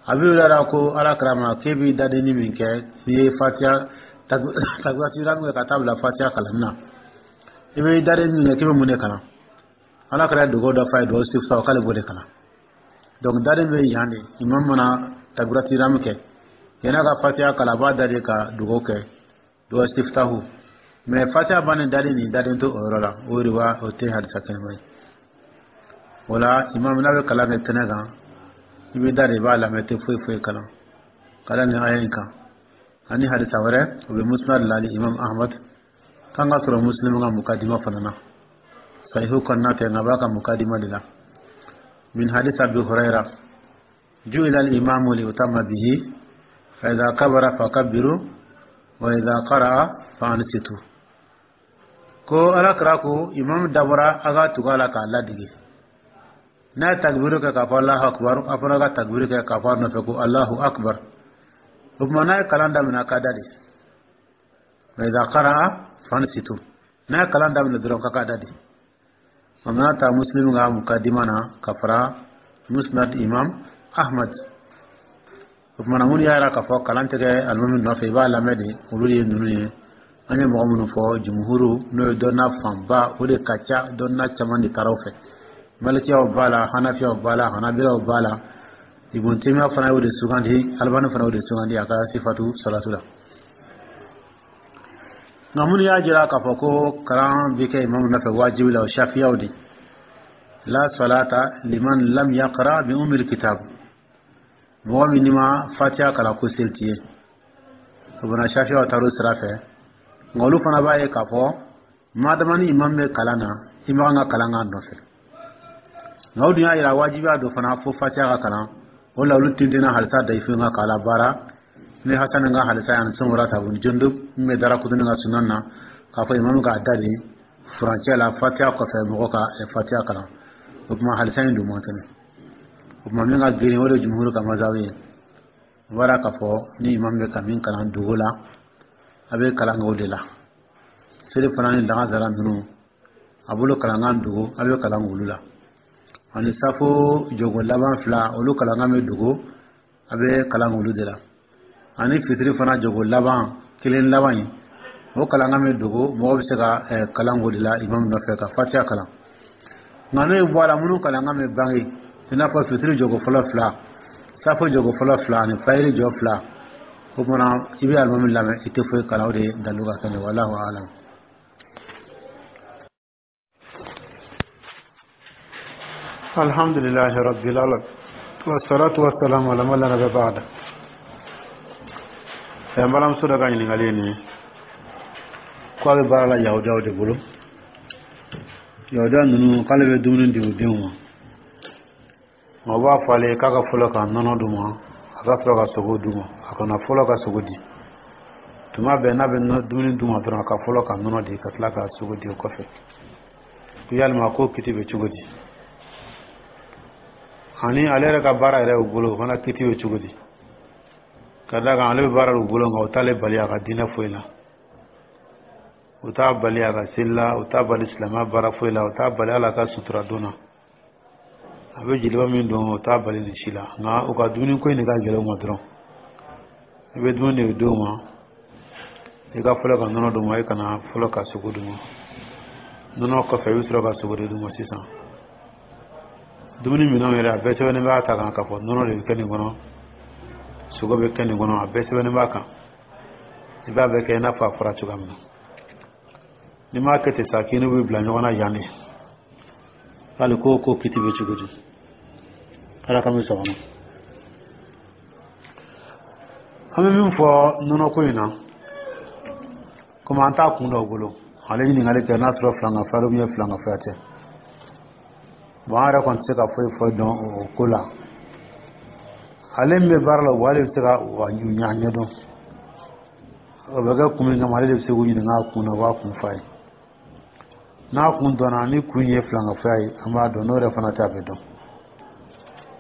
Speaker 1: a bɛ yɛrɛ ko Ala kira ma k'e b'i dadenni min kɛ n'i ye fatiya takbiratu min kɛ ka taa bila fatiya kalan na, i bɛ daden min kɛ k'i bɛ mun de kalan? Ala kira ye dugawu dɔ f'a ye, dugawu sifta, k'ale b'o de kalan. Donc daden bɛ yan de, imam mana takbiratu min kɛ, yan'a ka fatiya kalan, a b'a da de ka dugawu kɛ, dugawu siftahu. Mais fatiya bannen, daden nin daden to o yɔrɔ la, o de b'a o tɛ hadisa kɛnɛma ye. O la, imam n'a bɛ kalan kɛ kɛnɛ kan, i bɛ da de, i b'a lamɛn, tɛ foyi foyi kalan. Kalan nin aya in kan ani hadisa wɛrɛ, o bɛ Musnad la imam Ahmad kan ka sɔrɔ Muslim ka mukadima fana na, sahihu kɔnɔna tɛ, nka a b'a ka mukadima de la, min hadis Abi Huraira: ju'ila al-imamu liyutamma bihi, fa idha kabara fakabbiru wa idha qara'a fa ansitu. Ko Ala kira ko imam dabɔra a ka tugu a la k'a ladege. N'a ye takbiru kɛ k'a fɔ Allahu akbar, a fana ka takbiru kɛ k'a fɔ a nɔfɛ ko Allahu akbar. O tuma, n'a ye kalan daminɛ, a ka da de, wa idha qara'a fa ansitu, n'a ye kalan daminɛ dɔrɔn, k'a ka da de. O mana ta Muslim ka mukadima na ka fara Musnad imam Ahmad. O tuma na, minnu y'a yira k'a fɔ kalan tɛ kɛ alimami nɔfɛ, i b'a lamɛn de, olu de ye ninnu ye. An ye mɔgɔ minnu fɔ, jumuhuru, n'o ye dɔnna fanba, o de ka ca, dɔnna caman de taara o fɛ. Malikiyaw b'a la, hanafiyaw b'a la, hanabilaw b'a la. Ibn Taymiya fana y'o de sugandi, Albani fana y'o de sugandi a ka sifatu salatu la. Nka minnu y'a jira k'a fɔ ko kalan bɛ kɛ imamu nɔfɛ wajibi la, o shafiyaw de: la salata liman lam yaqra bi umil kitab, mɔgɔ min n'i ma fatiya kalan, ko seli t'i ye. O bana, shafiyaw taara o sira fɛ. Nka olu fana b'a ye k'a fɔ madama ni imam bɛ kalan na, i ma kan ka kalan k'a nɔfɛ. Nka o dun y'a yira wajibiya dɔ fana fo fatiya ka kalan. O la, olu tintinna halisa dayifu ka k'a la baara ni Hasan ka halisa ani Samurata bun Jundub min bɛ Darakutuni ka sunan na, k'a fɔ imamu k'a da de furancɛ la fatiya kɔfɛ, mɔgɔ ka fatiya kalan. O tuma, halisa in dun man kɛnɛ. O tuma, min ka girin, o de ye jumhuru ka mazabu ye. O b'a k'a fɔ ni imam bɛ ka min kalan dogo la, a bɛ kalan kɛ o de la. Seli fana ni lagansara ninnu, a bolo kalankan dogo, a bɛ kalan olu la. Ani safo jogo laban fila, olu kalankan bɛ dogo, a bɛ kalan olu de la. Ani fitiri fana jogo laban kelen laban in, o kalankan bɛ dogo, mɔgɔ bɛ se ka kalan o de la imam nɔfɛ ka fatiya kalan. Nka n'o ye bɔ a la, minnu kalankan bɛ bange, i n'a fɔ fitiri jogo fɔlɔ fila, safo jogo fɔlɔ fila ani fayiri jɔ fila, o kumana i bɛ alimami lamɛn, i tɛ foyi kalan. O de ye dalu ka kɛnɛ, wallahu alam.
Speaker 2: Alhamdulillahi rabbil alamin, wassalatu wassalamu ala man la nabiyya ba'da.
Speaker 1: N balimamuso dɔ ka ɲininkali ye nin ye, ko a bɛ baara la yahudiyaw de bolo. Yahudiya ninnu, k'ale bɛ dumuni di u denw ma, nka u b'a fɔ ale ye k'a ka fɔlɔ ka nɔnɔ d'u ma, a ka sɔrɔ ka sogo d'u ma. A kana fɔlɔ ka sogo di. Tuma bɛɛ n'a bɛ dumuni d'u ma dɔrɔn, a ka fɔlɔ ka nɔnɔ di, ka tila ka sogo di o kɔfɛ.
Speaker 2: Ko yalima ko kiti bɛ cogo di? Ani ale yɛrɛ ka baara yɛrɛ u bolo, o fana kiti bɛ cogo di? Ka d'a kan ale bɛ baara u bolo, nka o t'ale bali a ka diinɛ foyi la, o t'a bali a ka seli la, o t'a bali silamɛya baara foyi la, o t'a bali hali a ka sutura don na. A bɛ jeliba min don, o t'a bali nin si la. Nka u ka dumuni ko in de ka gɛlɛn u ma dɔrɔn. I bɛ dumuni de d'u ma, i ka fɔlɔ ka nɔnɔ d'u ma, i kana fɔlɔ ka sogo d'u ma. Nɔnɔ kɔfɛ, i bɛ sɔrɔ ka sogo de d'u ma. Sisan dumuni minɛnw yɛrɛ, a bɛɛ sɛbɛnnen b'a ta kan k'a fɔ nɔnɔ de bɛ kɛ nin kɔnɔ, sogo bɛ kɛ nin kɔnɔ, a bɛɛ sɛbɛnnen b'a kan. I b'a bɛɛ kɛ i n'a fɔ a fɔra cogoya min na. N'i m'a kɛ ten sa, k'i n'u bɛ bila ɲɔgɔn na yan de. Hali ko kiti bɛ cogo di? Ala ka bɛ sɔgɔma. An bɛ min fɔ nɔnɔko in na, komi an t'a kun dɔn o bolo, ale ɲininkali kɛ n'a sɔrɔ filankafoya don, filankafoya tɛ. Bon, an yɛrɛ kɔni tɛ se ka foyi fɔ dɔn o ko la. Ale min bɛ baara la, o ale bɛ se ka ɲa ɲɛdɔn. O bɛ kɛ kun min kama, ale de bɛ se k'u ɲininka a kun na, o b'a kun f'a ye. N'a kun dɔnna, ni kun ye filankafoya ye, an b'a dɔn. N'o yɛrɛ fana tɛ, a bɛ dɔn.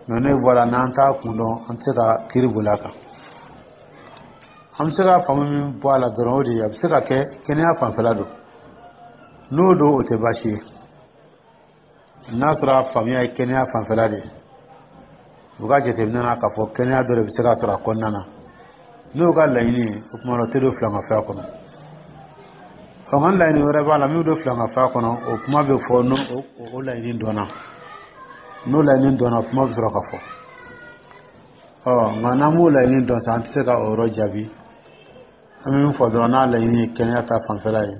Speaker 2: Mɛ n'o bɔra, n'an t'a kun dɔn, an tɛ se ka kiiri boli a kan. An bɛ se ka faamu min bɔ a la dɔrɔn, o de ye a bɛ se ka kɛ kɛnɛya fanfɛla don. N'o don, o tɛ baasi ye. N'a sɔrɔ a faamuya ye kɛnɛya fanfɛla de ye, u ka jateminɛ na k'a fɔ kɛnɛya dɔ de bɛ se ka sɔrɔ a kɔnɔna na, n'o ka laɲini ye, o tuma na o tɛ don filankafoya kɔnɔ. Ɔ, nka laɲini wɛrɛ b'a la min bɛ don filankafoya kɔnɔ, o kuma bɛ fɔ n'o o laɲini dɔnna. N'o laɲini dɔnna, o kuma bɛ sɔrɔ ka fɔ. Ɔ, nka n'an m'o laɲini dɔn sa, an tɛ se ka o yɔrɔ jaabi. An bɛ min fɔ dɔrɔn, n'a laɲini ye kɛnɛya ta fanfɛla ye,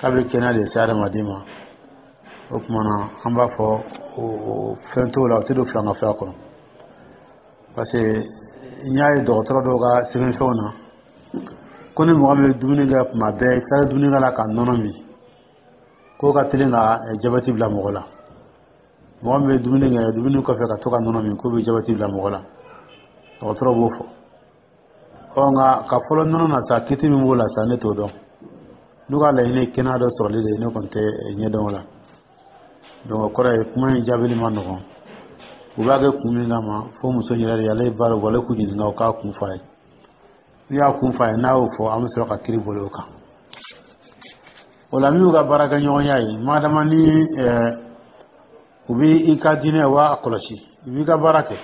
Speaker 2: k'a bɛ kɛnɛya de se adamaden ma, o tuma na an b'a fɔ o fɛn t'o la, o tɛ don filankafoya kɔnɔ. Parce que n y'a ye dɔgɔtɔrɔ dɔw ka sɛbɛnfɛnw na ko ni mɔgɔ min bɛ dumuni kɛ tuma bɛɛ, i tilala dumuni kɛ la ka nɔnɔ min, k'o ka teli ka jabɛti bila mɔgɔ la. Mɔgɔ min bɛ dumuni kɛ, dumuni kɔfɛ ka to ka nɔnɔ min, k'o bɛ jabɛti bila mɔgɔ la, dɔgɔtɔrɔ b'o fɔ. Ɔ, nka ka fɔlɔ nɔnɔ na sa, kiti min b'o la sa, ne t'o dɔn. N'u ka laɲini ye kɛnɛya dɔ sɔrɔli de ye, ne kɔni tɛ ɲɛdɔn o la. Donc o kɔrɔ ye kuma in jaabili ma nɔgɔn. U b'a kɛ kun min kama, fo muso in yɛrɛ de, ale ye baara bɔ, ale k'u ɲininka, o k'a kun f'a ye. N'u y'a kun f'a ye, n'a y'o fɔ, an bɛ sɔrɔ ka kiiri boli o kan. O la, min y'u ka baarakɛɲɔgɔnya ye, madama ni u bɛ i ka diinɛ wa kɔlɔsi, i b'i ka baara kɛ,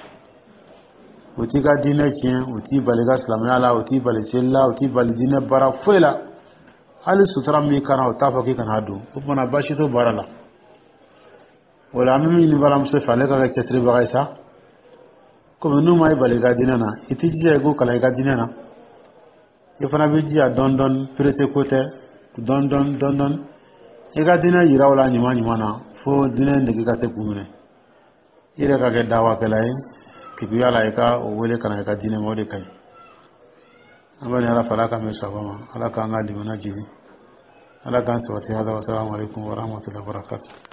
Speaker 2: u t'i ka diinɛ tiɲɛ, u t'i bali i ka silamɛya la, u t'i bali seli la, u t'i bali diinɛ baara foyi la, hali sutura min kana, u t'a fɔ k'i kana don, o tuma na baasi t'o baara la. O la, an bɛ min ɲini balimamuso fɛ, ale ka kɛ cɛsiribaga ye sa. Komi n'u ma i bali i ka diinɛ na, i t'i jija i k'u kalan i ka diinɛ na. I fana bɛ jija dɔɔni dɔɔni, perese ko tɛ, dɔɔni dɔɔni dɔɔni dɔɔni, i ka diinɛ yira u la ɲuman ɲuman na, fo diinɛ nege ka se k'u minɛ. I yɛrɛ ka kɛ dawakɛla ye keguya la, i ka o wele ka na i ka diinɛ ma, o de ka ɲi. An bɛ ala fɛ, ala k'an bɛn sababa ma, ala k'an ka limaniya jigin, ala k'an sabati. Hada, wasalamu alaikum warahmatullahi wabarakatuh.